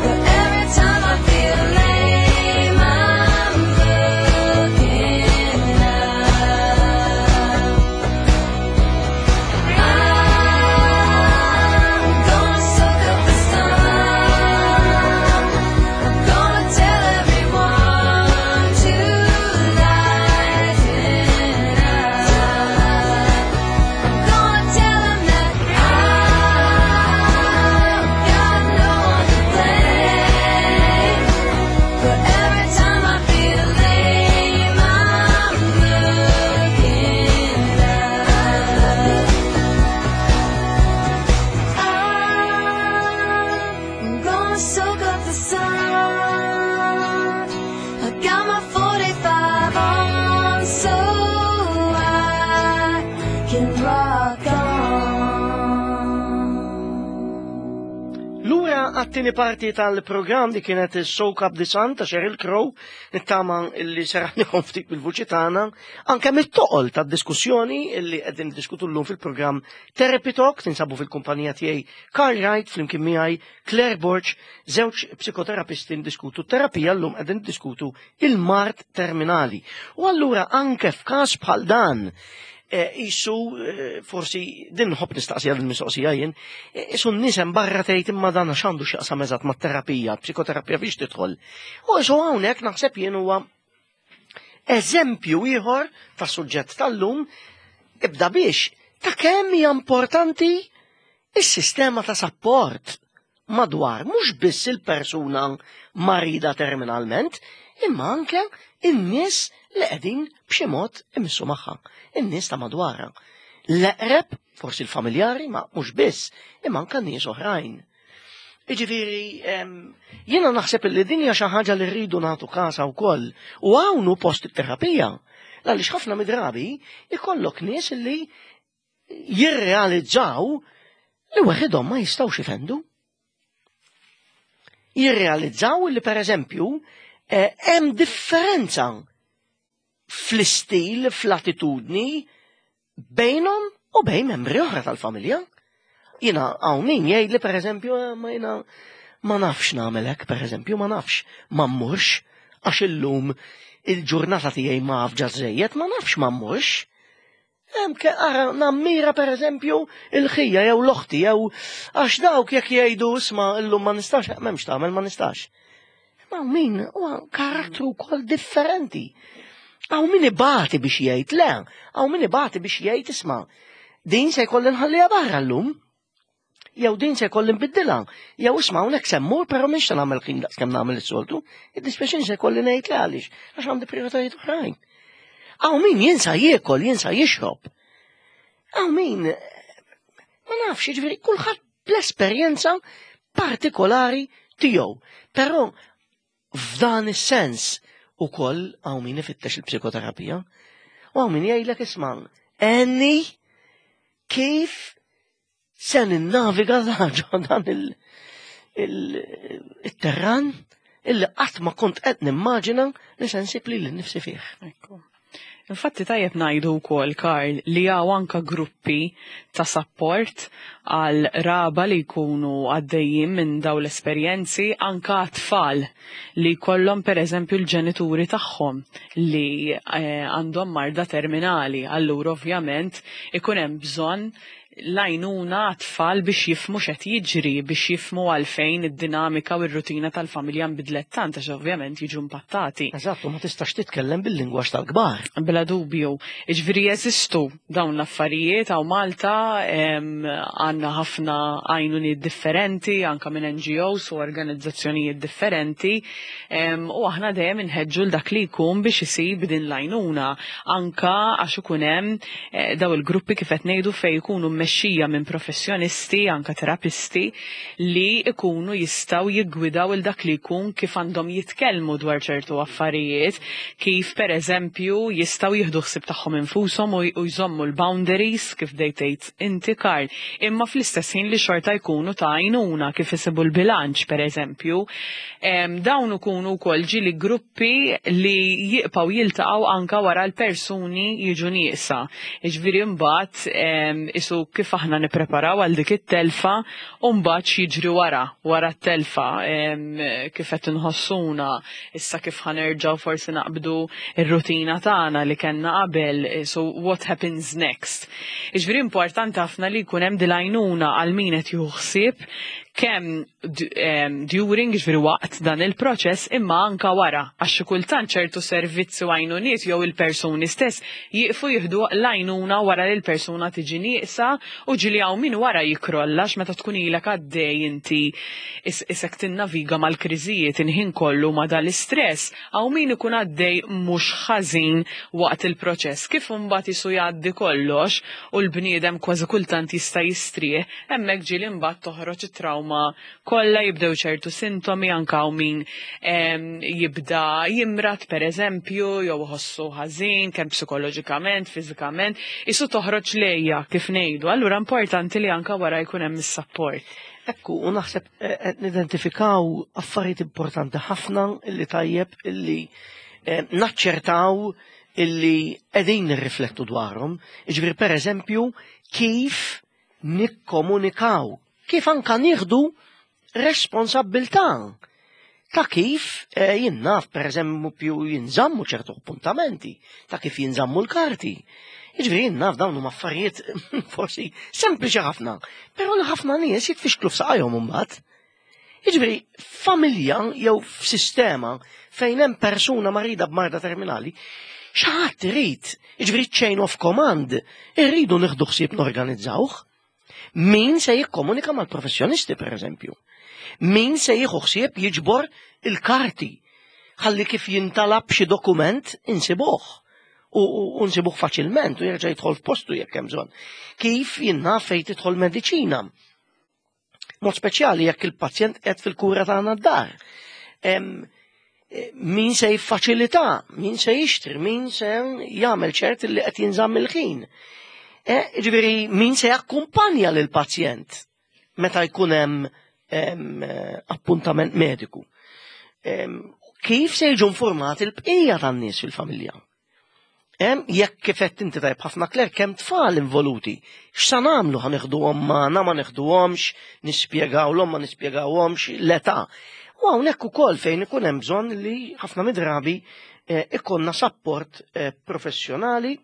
But every time I feel lame, I'm looking up. I'm gonna soak up the sun. I'm gonna tell everyone to lighten up. I'm gonna tell 'em that I've got no one to blame. But every time I feel lame, I'm looking up. I'm gonna soak up the sun. I got my 45 on, so I can rock on. Lura għat-tieni parti tal-programm li kienet Soak Up the Sun ta' Sheryl Crow, nittama illi seraħnikom ftit bil-vuċi tagħna, anke mit-toqol tad-diskussjoni illi qegħdin niddiskutu llum fil-programm Therapy Talk, tinsabu fil-kumpanija tiegħi Carl Wright flimkien miegħi Claire Borg, żewġ psikoterapisti ndiskutu terapija llum qegħdin niddiskutu il-mard terminali. U allura anke f'każ bħal dan, isu forsi din nħobb nistaqsija din mistoqsija jien, isu n-nies hemm barra tgħid imma dan għax għandu x'jaqsam eżatt mat-terapija, psikoterapija biex tidħol. U isu hawnhekk naħseb jien huwa eżempju ieħor ta' suġġett tal-lum ibda biex ta' kemm hija importanti is-sistema ta' sapport madwar mhux biss il-persuna marida terminalment, imma anke in-nies li qegħdin b'xi mod imissu magħha, in-nies ta' madwarha. L-eqreb, forsi l-familjari, ma mhux biss, imma anke nies oħrajn. Jiġifieri, jiena naħseb li din hija xi ħaġa li rridu nagħtu kasha wkoll. U hawn hu post it-terapija. Għaliex ħafna midrabi ikollok nies li jirrealizzaw li waħedhom ma jistgħux ifendu. Jirrealizzaw li per eżempju hemm differenza fl-istil, fl-attitudni bejnhom u bejn membri oħra tal-familja. Jiena hawn min jgħid li per eżempju, ma jiena ma nafx nagħmel hekk, per eżempju, ma nafx ma mmurx għax illum il-ġurnata tiegħi ma afġa żejjed, ma nafx ma mmurx. Hemm ke ara nammira per eżempju il-ħija jew l-oħti jew għax dawk jekk jgħidu isma' illum ma nistax, m'hemmx tagħmel ma nistax. Ma min huwa karattru wkoll differenti. Hawn min ibati biex jgħid le, hawn min ibati biex jgħid isma' din se jkolli nħalliha barra llum. Jew din se jkolli nbiddilha, jew isma' hawnhekk se mmur però mhix se nagħmel ħin daqs kemm nagħmel is-soltu, id-dispjaċini se jkolli ngħid le għaliex għax għandi prijoritajiet oħrajn. Hawn min jinsa jiekol, jinsa jixrob. Hawn min ma nafx, jiġifieri kulħadd bl-esperjenza partikolari tiegħu. Però f'dan is-sens ukoll hawn min ifittex il-psikoterapija. U hawn min jgħidlek isma' għenni kif se ninnaviga dan il-terran illi qatt ma kont qed nimmaġina li se nsib lili nnifsi fih. Ekku. Infatti tajjeb ngħidu wkoll, Karl, li hawn anka gruppi ta' sapport għal raba li jkunu għaddejjin minn daw l-esperjenzi, anka tfal li jkollhom pereżempju l-ġenituri tagħhom li għandhom marda terminali. Allura ovvjament ikun hemm bżonn L-għajnuna għat-tfal biex jifhmu x'qed jiġri, biex jifhmu għalfejn id-dinamika u r-rutina tal-familja nbidlet tant għax ovvjament jiġu impattati. Eżatt, u ma tistax titkellem bil-lingwaġġ tal-kbar. Bla dubju. Jiġifieri jeżistu dawn l-affarijiet hawn Malta, għandna ħafna għajnuniet differenti anke minn NGOs u organizzazzjonijiet differenti u aħna dejjem inħeġġu 'l dak li jkun biex isib din l-għajnuna anke għax ikun hemm Eh, daw il-gruppi kif qed ngħidu fejn jkunu mmexxija minn professjonisti, anka terapisti, li jkunu jistgħu jiggwidaw il dak li jkun kif għandhom jitkellmu dwar ċertu affarijiet, kif pereżempju jistgħu jieħdu ħsieb tagħhom infushom u jżommu l-boundaries kif bdejt tgħid inti Karl, imma fl-istess ħin li xorta jkunu ta' għajnuna kif isibu l-bilanċ pereżempju. Dawn ikunu wkoll ġieli gruppi li jibqgħu jiltaqgħu anka wara l-persuni jiġu nieqsa. Jiġifieri mbagħad isu kif aħna nippreparaw għal dik it-telfa u mbagħad x'jiġri wara, wara t-telfa, kif qed inħossuna, issa kif ħa nerġgħu forsi naqbdu r-rutina tagħna li kellna qabel, so what happens next. Jiġifieri importanti ħafna li jkun hemm dil-għajnuna għal min qed jieħu ħsieb kemm during, jiġifieri waqt dan il-proċess, imma anka wara, għax xi kultant ċertu servizzi u għajnuniet jew il-persuni stess jieqfu jieħdu l-għajnuna wara li l-persuna tiġi nieqsa u ġieli hawn min wara jikkrolla għax meta tkun ilek għaddej inti isek tinnaviga mal-kriżijiet il-ħin kollu ma' dal-istress, hawn min ikun għaddej mhux ħażin waqt il-proċess. Kif imbagħad isu jgħaddi kollox u l-bniedem kważi kultant jista' jistrieħ, Hemmhekk ġieli mbagħad toħroġ it-trawma kollha, jibdew ċertu sintomi anke hawn min jibda jimrad pereżempju jew iħossu ħażin kemm psikoloġikament, fiżikament, isu toħroġ lejja kif ngħidu. Allura importanti li anke wara jkun hemm is-sapport. Ekku, u naħseb eh, qed nidentifikaw affarijiet importanti ħafna illi tajjeb illi eh, naċċertaw illi qegħdin nirriflettu dwarhom. Jiġifieri pereżempju kif nikkomunikaw, kif anka nieħdu responsabbiltà ta' kif eh, jien naf pereżempju jinżammu ċertu appuntamenti, ta' kif jinżammu l-karti. Jiġifieri jien naf dawn huma affarijiet forsi sempliċi ħafna, però li ħafna nies jitfixklu f'saqajhom imbagħad. Jiġifieri familja jew f'sistema fejn hemm persuna marida b'marda terminali, xi ħadd irid, jiġifieri chain of command, irridu nieħdu ħsieb norganizzawh. Min se jikkomunika mal-professjonisti pereżempju? Min se jieħu ħsieb jiġbor il-karti ħalli kif jintalab xi dokument insibuh u nsibuh faċilment u jerġa' jidħol f'postu jekk hemm bżonn. Kif jinnaf fejn tidħol mediċina? Mod speċjali jekk il-pazjent qed fil-kura tagħna d-dar. Eh, min se jiffaċilità, min se jixtri, min se jagħmel ċert li qed jinżamm il-ħin. Eh, ġifieri min se jakkumpanja lil pazjent meta jkun hemm eh, appuntament mediku. Kif se jiġu informati l-bqija tan-nies fil-familja? Hemm jekk kif qed inti tajb ħafna Claire kemm tfal involuti. X'sa nagħmlu ħa neħduhom magħna ma neħduhomx, nispjegawlhom ma nispjegawhomx l-età. U hawnhekk ukoll fejn ikun hemm bżonn li ħafna midrabi eh, ikonna sapport eh, professjonali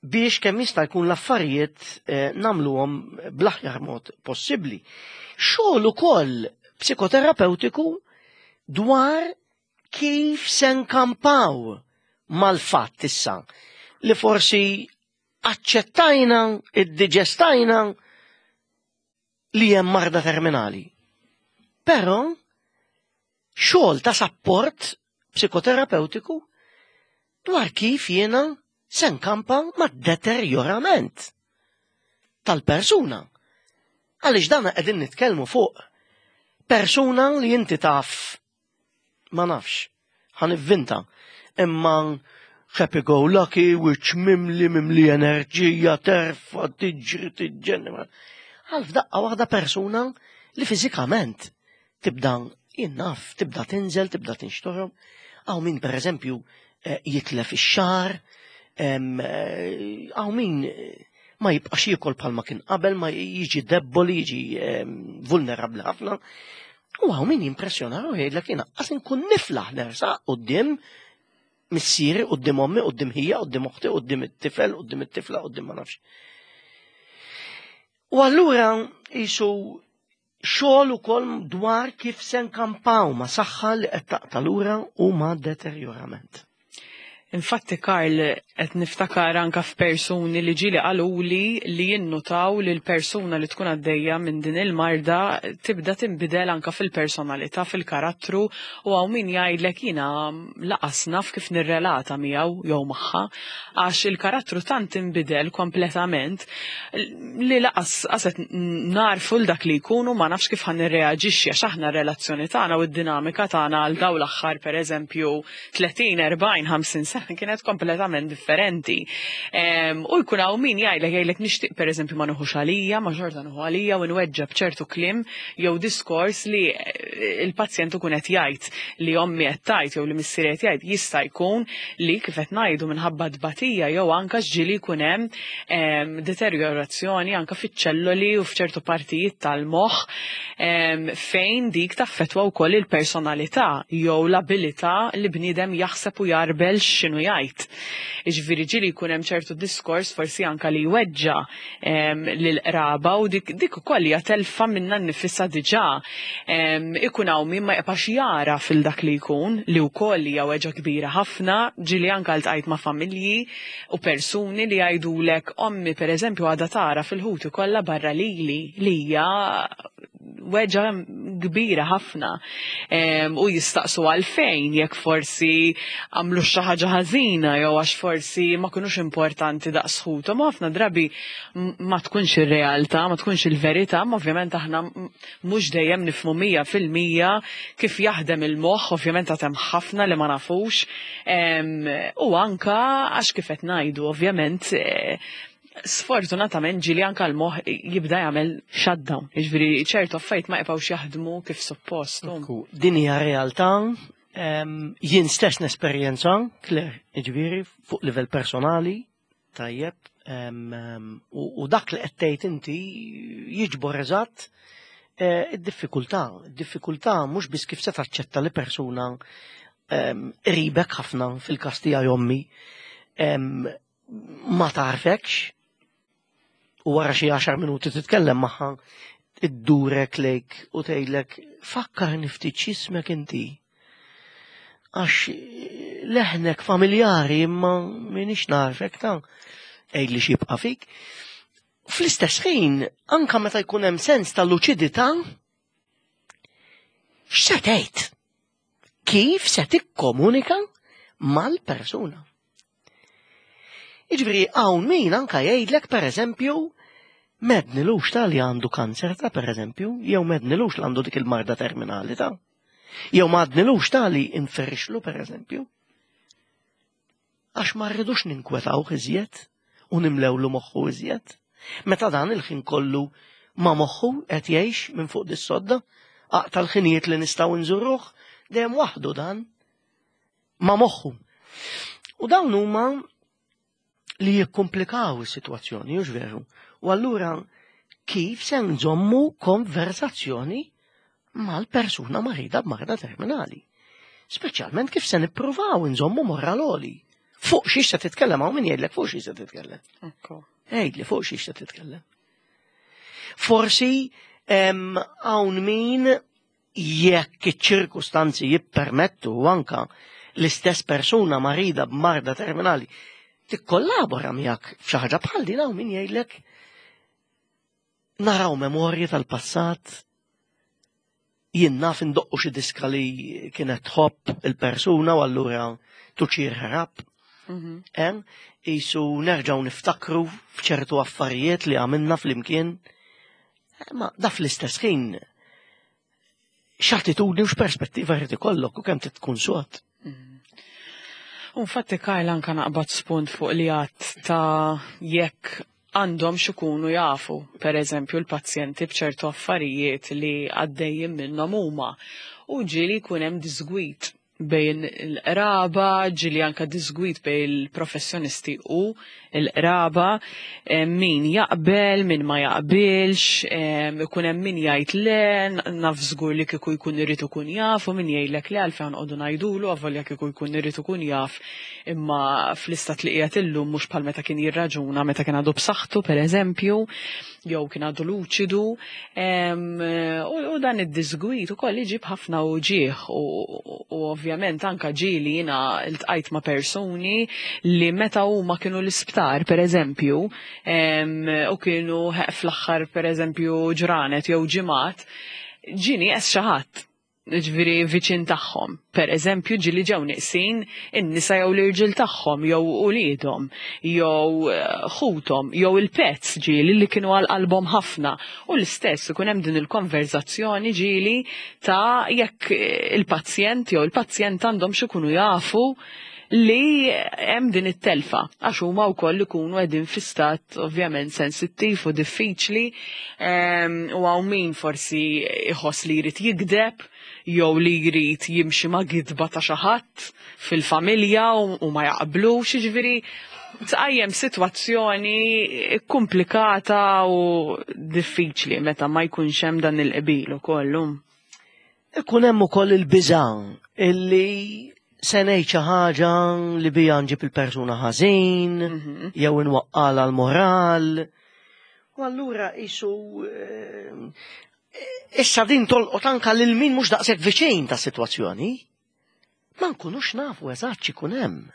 biex kemm jista' jkun l-affarijiet eh, nagħmluhom bl-aħjar mod possibbli. Xogħol ukoll psikoterapeutiku dwar kif se nkampaw mal-fatt issa li forsi aċċettajna, iddiġestajna li hemm marda terminali. Però xogħol ta' sapport psikoterapeutiku dwar kif jiena se nkampa mad-deterjorament tal-persuna. Għaliex dan qegħdin nitkellmu fuq persuna li inti taf ma nafx, ħa nivvinta, imma happy go lucky, which mimli mimli enerġija, terfa, tiġri, tiġġenni. Għal f'daqqa waħda persuna li fiżikament tibda jinnaf, tibda tinżel, tibda tinxtorom. Għaw min per eżempju eh, jitlef ix-xar, eh, għaw min eh, ma jibqax jiekol bħalma kien qabel, ma jiġi debboli, jiġi vulnerabli ħafna. U għaw min jimpressjona u jgħidlek jiena qas inkun niflaħ nersaq quddiem missieri, quddiem ommi, quddiem ħija, quddiem oħti, quddiem it-tifel, quddiem it-tifla, quddiem ma nafx. U allura jisu xogħol ukoll dwar kif se nkampaw ma' saħħa li qed taqta' lura u ma' deterjorament. Infatti Karl qed niftakar anka f'persuni li ġieli qaluli li jinnutaw li l-persuna li tkun għaddejja minn din il-marda tibda tinbidel anka fil-personalità, fil-karattru u hawn min jgħidlek jiena laqas naf kif nirrelata miegħu jew magħha għax il-karattru tant inbidel kompletament li laqas qaset narfu l dak li jkunu ma nafx kif ħa nirreaġixxi għax aħna r-relazzjoni tagħna u d-dinamika tagħna għal dawn l-aħħar pereżempju 30, 40, 50 sena kienet kompletament differenti. U jkun hawn min jgħidlek jgħidlek nixtieq pereżempju ma nieħux għalija, ma xorta nieħu għalija u nweġġa b'ċertu kliem jew diskors li eh, il-pazjent ikun qed jgħid li ommi qed tgħid jew li missieri qed jgħid jista' jkun li kif qed ngħidu minħabba tbatija jew anke x'ġieli jkun hemm deteriorazzjoni anke fiċ-ċelloli u f'ċertu partijiet tal-moħħ fejn dik taffettwa wkoll il-personalità jew l-abilità li bniedem jaħseb u jarbel x'inhu jgħid. Jiġifieri ġieli jkun hemm ċertu diskors forsi anke li jweġġa' lill-qraba u dik dik ukoll hija telfa minnha nnifisha diġà. Ikun hawn min ma jibqax jara fil dak li jkun, li wkoll hija weġgħa kbira ħafna, ġieli anke ltqajt ma' familji u persuni li jgħidulek ommi pereżempju għadha tara fil-ħuti kollha barra lili li hija weġgħa kbira ħafna u jistaqsu għalfejn jekk forsi għamlu xi ħaġa ħażina jew għax forsi ma kinux importanti daqs ħuthom. Ħafna drabi ma tkunx ir-realtà, ma tkunx il-verità, ma ovvjament aħna mhux dejjem nifhmu 100% kif jaħdem il-moħħ, ovvjament għad hemm ħafna li ma nafux, u anka għax kif qed ngħidu, ovvjament eh, sfortunatament ġieli anka l-moħħ jibda jagħmel shutdown, jiġifieri ċertu affarijiet ma jibqgħux jaħdmu kif suppost. Din hija realtà jien stess nesperjenza, Claire, jiġifieri fuq livell personali, Tajjeb, u dak li qed tgħid inti jiġbor eżatt eh, id-diffikultà. Id-diffikultà mhux biss kif se taċċetta li persuna qribek ħafna fil-każ tiegħi ommi ma tarfekx u wara xi għaxar minuti titkellem magħha iddurek lejk u tgħidlek fakkarni ftit x'ismek inti. Għax leħnek familjari imma minix narfek ta' għidli x'jibqa' fik. Fl-istess ħin, anka meta jkun hemm sens ta' luċidità, x'se tgħid? Kif se tikkomunika mal-persuna? Jiġifieri hawn min anka jgħidlek pereżempju m'għednilux ta' li għandu kanser ta' pereżempju, jew m'għednilux li għandu dik il-marda terminali ta' jew ma għednilux ta' li inferixlu pereżempju. Għax ma rridux ninkwetawh iżjed u nimlewlu moħħu iżjed. Meta dan il-ħin kollu ma moħħu qed jgħix minn fuq dis-sodda, aqta' l-ħinijiet li nistgħu nżuruh, dejjem waħdu dan ma' moħħu. U dawn huma li jikkomplikaw is-sitwazzjoni, hux veru? U allura kif se nżommu konversazzjoni mal-persuna marida b'marda terminali? Speċjalment kif se nippruvaw nżommu moral għoli. Fuq xiex se titkellem hawn min jgħidlek fuq xiex se titkellem. Għidli fuq xiex se titkellem. Forsi hawn min jekk iċ-ċirkustanzi jippermettu u anka l-istess persuna marida b'marda terminali tikkollabora miegħek f'xi ħaġa bħal din hawn min jgħidlek naraw memorji tal-passat jien naf indoqqu xi diska li kienet tħobb il-persuna u allura tuċir ħrab. Mhm. Isu nerġgħu niftakru f'ċertu affarijiet li għamilna flimkien. Ma da fl-istess ħin x'attitudni u x'perspettiva jrid ikollok u kemm trid tkun sod. Mm. Infatti Karl anka naqbad spunt fuq li għat ta' jekk għandhom xikunu jafu, per eżempju, l-pazjenti bċertu affarijiet li għaddejjin minnhom huma. U ġieli jkun hemm disgwit. bejn il-qraba, ġili anka disgwid bejn il-professjonisti u il-qraba, min jaqbel, min ma jaqbilx, ikun hemm min jgħid le, naf żgur li kieku jkun irid ikun jaf, u min jgħidlek le għalfejn qogħdu ngħidulu avolja kieku jkun irid ikun jaf, imma fl-istat li qiegħed illum mhux bħal meta kien jirraġuna meta kien għadu b'saħħtu pereżempju, jew kien għadu luċidu, u dan id-disgwid ukoll iġib ħafna uġigħ u ovvjament anka ġieli jiena ltqajt ma' persuni li meta huma kienu l-isptar pereżempju u kienu fl-aħħar pereżempju ġranet jew ġimgħat, ġie nieqes xi ħadd ġifieri viċin tagħhom. Per eżempju, ġieli ġew nieqsin in-nisa jew l-irġiel tagħhom jew uliedhom jew eh, ħuthom jew il-pets ġieli li kienu għal qalbhom ħafna. U l-istess ikun hemm din il-konverzazzjoni ġieli ta' jekk il-pazjent jew il-pazjent għandhom x'ikunu jafu li hemm din it-telfa għax huma wkoll ikunu qegħdin fi stat ovvjament sensittiv u diffiċli ehm, u hawn min forsi iħoss li jrid jigdeb jew li jrid jimxi ma' gidba ta' xi ħadd fil-familja u ma jaqblux, jiġifieri tqajjem sitwazzjoni komplikata u diffiċli meta ma jkunx hemm dan il-qbil ukoll. Ikun hemm ukoll il-biża' illi se ngħid xi ħaġa li bija nġib il-persuna ħażin, mhm. jew inwaqqala l-moral. U allura isu eh, issa din tolqot anka lil min mhux daqshekk viċin ta' sitwazzjoni. Ma nkunux nafu eżatt x'ikun hemm.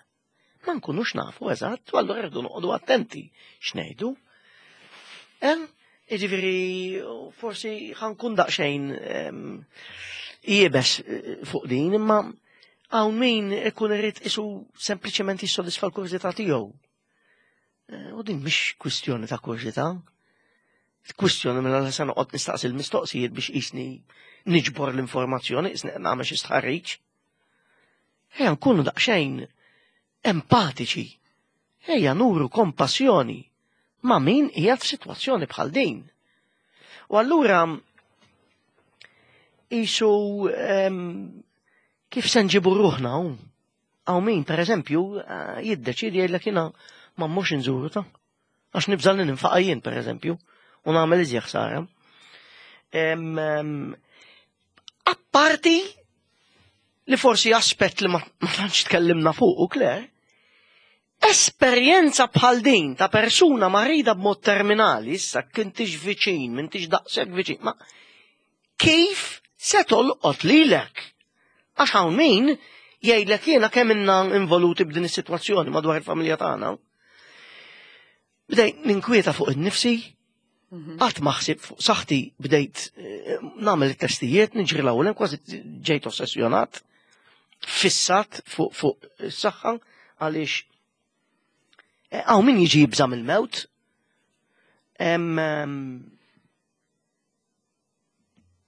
Ma nkunux nafu eżatt, u allura rridu noqogħdu attenti x'ngħidu. Hemm, jiġifieri forsi ħankun daqsxejn iebes eh, fuq din, imma hawn min ikun irid isu sempliċement jissodisfa l-kurżità tiegħu. Eh, u din mhix kwistjoni ta' kurżità. Kwistjoni mela li se noqgħod nistaqsi l-mistoqsijiet biex qisni niġbor l-informazzjoni, qisni qed nagħmel xi stħarriġ. Ejja nkunu daqsxejn empatiċi. Ejja nuru kompassjoni ma' min qiegħed f'sitwazzjoni bħal din. U allura isu kif se nġibu ruħna hawn? Hawn min, per eżempju, eh, jiddeċidi jgħidlek jiena ma mmurx inżuru ta' għax nibża' li ninfaqa' jien, per eżempju, u nagħmel iżjed ħsara. Apparti li forsi aspett li ma tantx tkellimna fuq u Claire, esperjenza bħal din ta' persuna marida b'mod terminali, issa kintix viċin, m'intix daqshekk viċin, ma kif se tolqot lilek? Għax hawn min jgħidlek jiena kemm inna involuti b'din is-sitwazzjoni madwar il-familja tagħna. Bdejt ninkwieta fuq innifsi, mhm. qatt ma ħsib fuq saħħti bdejt eh, nagħmel it-testijiet, niġri l-ewwel kważi ġejt ossessjonat, fissat fuq fuq is-saħħa għaliex eh, hawn min jiġi jibża' mill-mewt.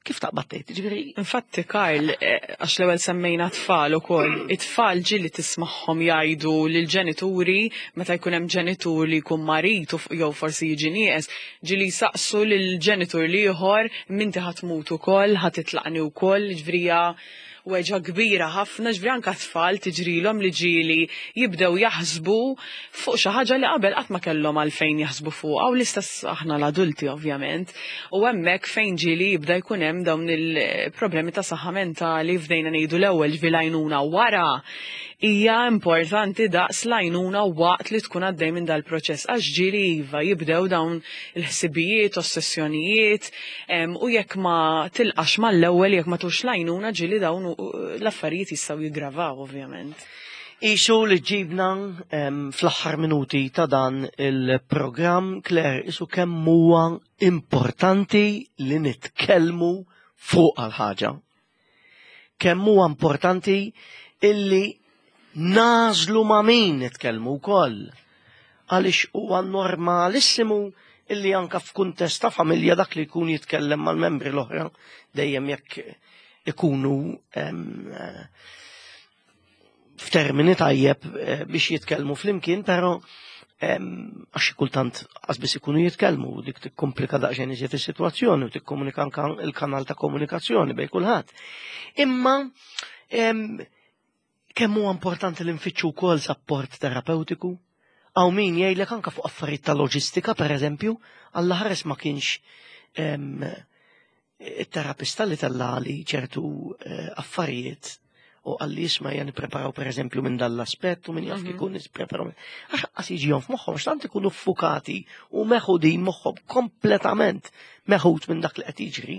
Kif taqbad tgħid, ġifieri. Infatti Karl, eh, għax l-ewwel semmejna tfal ukoll, it-tfal ġieli tismagħhom jgħidu lill-ġenituri meta jkun hemm ġenitur li jkun marid jew forsi jiġi nieqes, ġieli jsaqsu lill-ġenitur l-ieħor m'inti ħa tmut ukoll, ħa titlaqni wkoll, ġifieri hija weġgħa kbira ħafna, ġifieri anke t-tfal tiġrilhom li ġieli jibdew jaħsbu fuq xi ħaġa li qabel qatt ma kellhom għalfejn jaħsbu fuqha u l-istess aħna l-adulti ovvjament. U hemmhekk fejn ġieli jibda jkun hemm dawn il-problemi ta' saħħa mentali fdejna ngħidu l-ewwel ġifieri l-għajnuna wara hija importanti daqs l-għajnuna waqt li tkun għaddej minn dal-proċess għax ġieli iva jibdew dawn il-ħsibijiet, ossessjonijiet, U jekk ma tilqax mal-ewwel, jekk ma tux l-għajnuna ġieli dawn l-affarijiet jistgħu jiggravaw ovvjament. Isu li ġibna fl-aħħar minuti ta' dan il-programm, Claire, isu kemm huwa importanti li nitkellmu fuq għal-ħaġa. Kemm huwa importanti illi nażlu ma' min nitkellmu wkoll. Għaliex huwa normalissimu illi anka f'kuntest ta' familja dak li jkun jitkellem mal-membri l-oħra dejjem jekk ikunu f'termini tajjeb eh, biex jitkellmu flimkien, però għax kultant biss ikunu jitkellmu dik tikkomplika daqsxejn iżjed is-sitwazzjoni u tikkomunika anka il-kanal ta' komunikazzjoni bejn kulħadd. Imma Kemm huwa importanti li nfittxu wkoll sapport terapeutiku? Hawn min jgħidlek anke fuq affarijiet ta' loġistika, pereżempju, Alla ħares ma kienx it-terapista li tellali ċertu eh, affarijiet u għalli jisma jen preparaw per eżempju minn dal-aspett u minn jaf kikun nispreparaw. Għax qas jiġihom f'moħħhom, għax tant ikunu ffukati u meħudin moħħhom kompletament meħud minn dak li qed jiġri,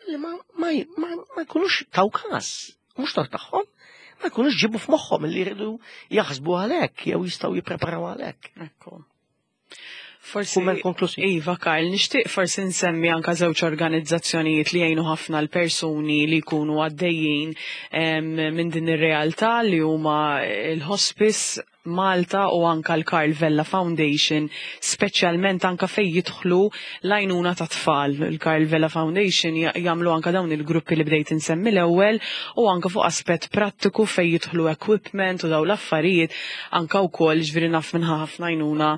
li ma, ma, ma, ma jkunux taw każ, mhux tor tagħhom, ma jkunux ġibu f'moħħhom li jridu jaħsbu għalhekk jew jistgħu jippreparaw għalhekk. Ekku. Forsi. Kumment konklusiv. Iva, Karl, nixtieq forsi nsemmi anka żewġ organizzazzjonijiet li jgħinu ħafna l-persuni li jkunu għaddejjin minn din ir-realtà li huma l-hospice Malta u anka l-Karl Vella Foundation, speċjalment anka fejn jidħlu l-għajnuna ta' tfal. Il-Karl Vella Foundation jagħmlu anka dawn il-gruppi li bdejt insemmi l-ewwel u anka fuq aspett prattiku fejn jidħlu equipment u dawn l-affarijiet anka wkoll ġifieri naf minn ħafna għajnuna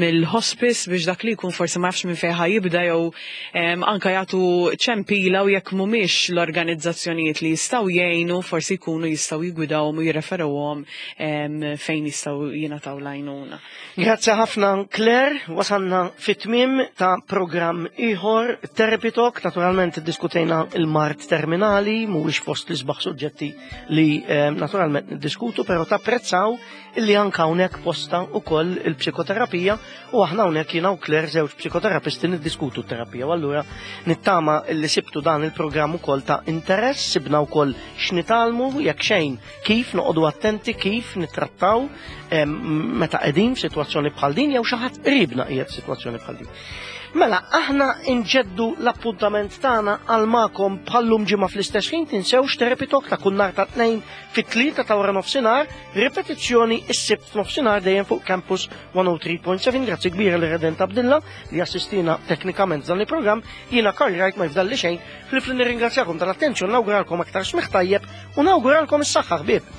mill-hospice biex dak li jkun forsi ma jafx minn fejn ħa jibda jew anka jagħtu ċempila u jekk mhumiex l-organizzazzjonijiet li jistgħu jgħinu forsi jkunu jistgħu jigwidawhom u jirreferuhom fejn jistgħu jingħataw l-għajnuna. Grazzi ħafna Claire, wasalna fit-tmiem ta' programm ieħor Therapy Talk, naturalment iddiskutejna il-mard terminali, mhuwiex fost l-isbaħ suġġetti li naturalment niddiskutu, però tapprezzaw illi anka hawnhekk posta wkoll il-psikoterapija u aħna hawnhekk jiena u Claire żewġ psikoterapisti niddiskutu t-terapija u allura nittama illi sibtu dan il-programm ukoll ta' interess, sibna wkoll x'nitalmu jekk xejn kif noqogħdu attenti kif nittrattaw meta qegħdin f'sitwazzjoni bħal din jew xi ħadd qribna qiegħed f'sitwazzjoni bħal din. Mela, aħna nġeddu l-appuntament tagħna għal magħkom bħallum ġimgħa fl-istess ħin tinsewx Therapy Talk ta' kull nhar ta' tnejn fit-tlieta ta' wara nofsinhar, ripetizzjoni s-sibt f'nofsinhar dejjem fuq Campus 103.7. Grazzi kbira li Redent Abdilla li assistina teknikament dan il-programm. Jiena Karl Wright ma jfdalli xejn, ħlief li nirringrazzjakom tal-attenzjoni, nawguralkom aktar smigħ tajjeb u nawguralkom is-saħħa ħbieb.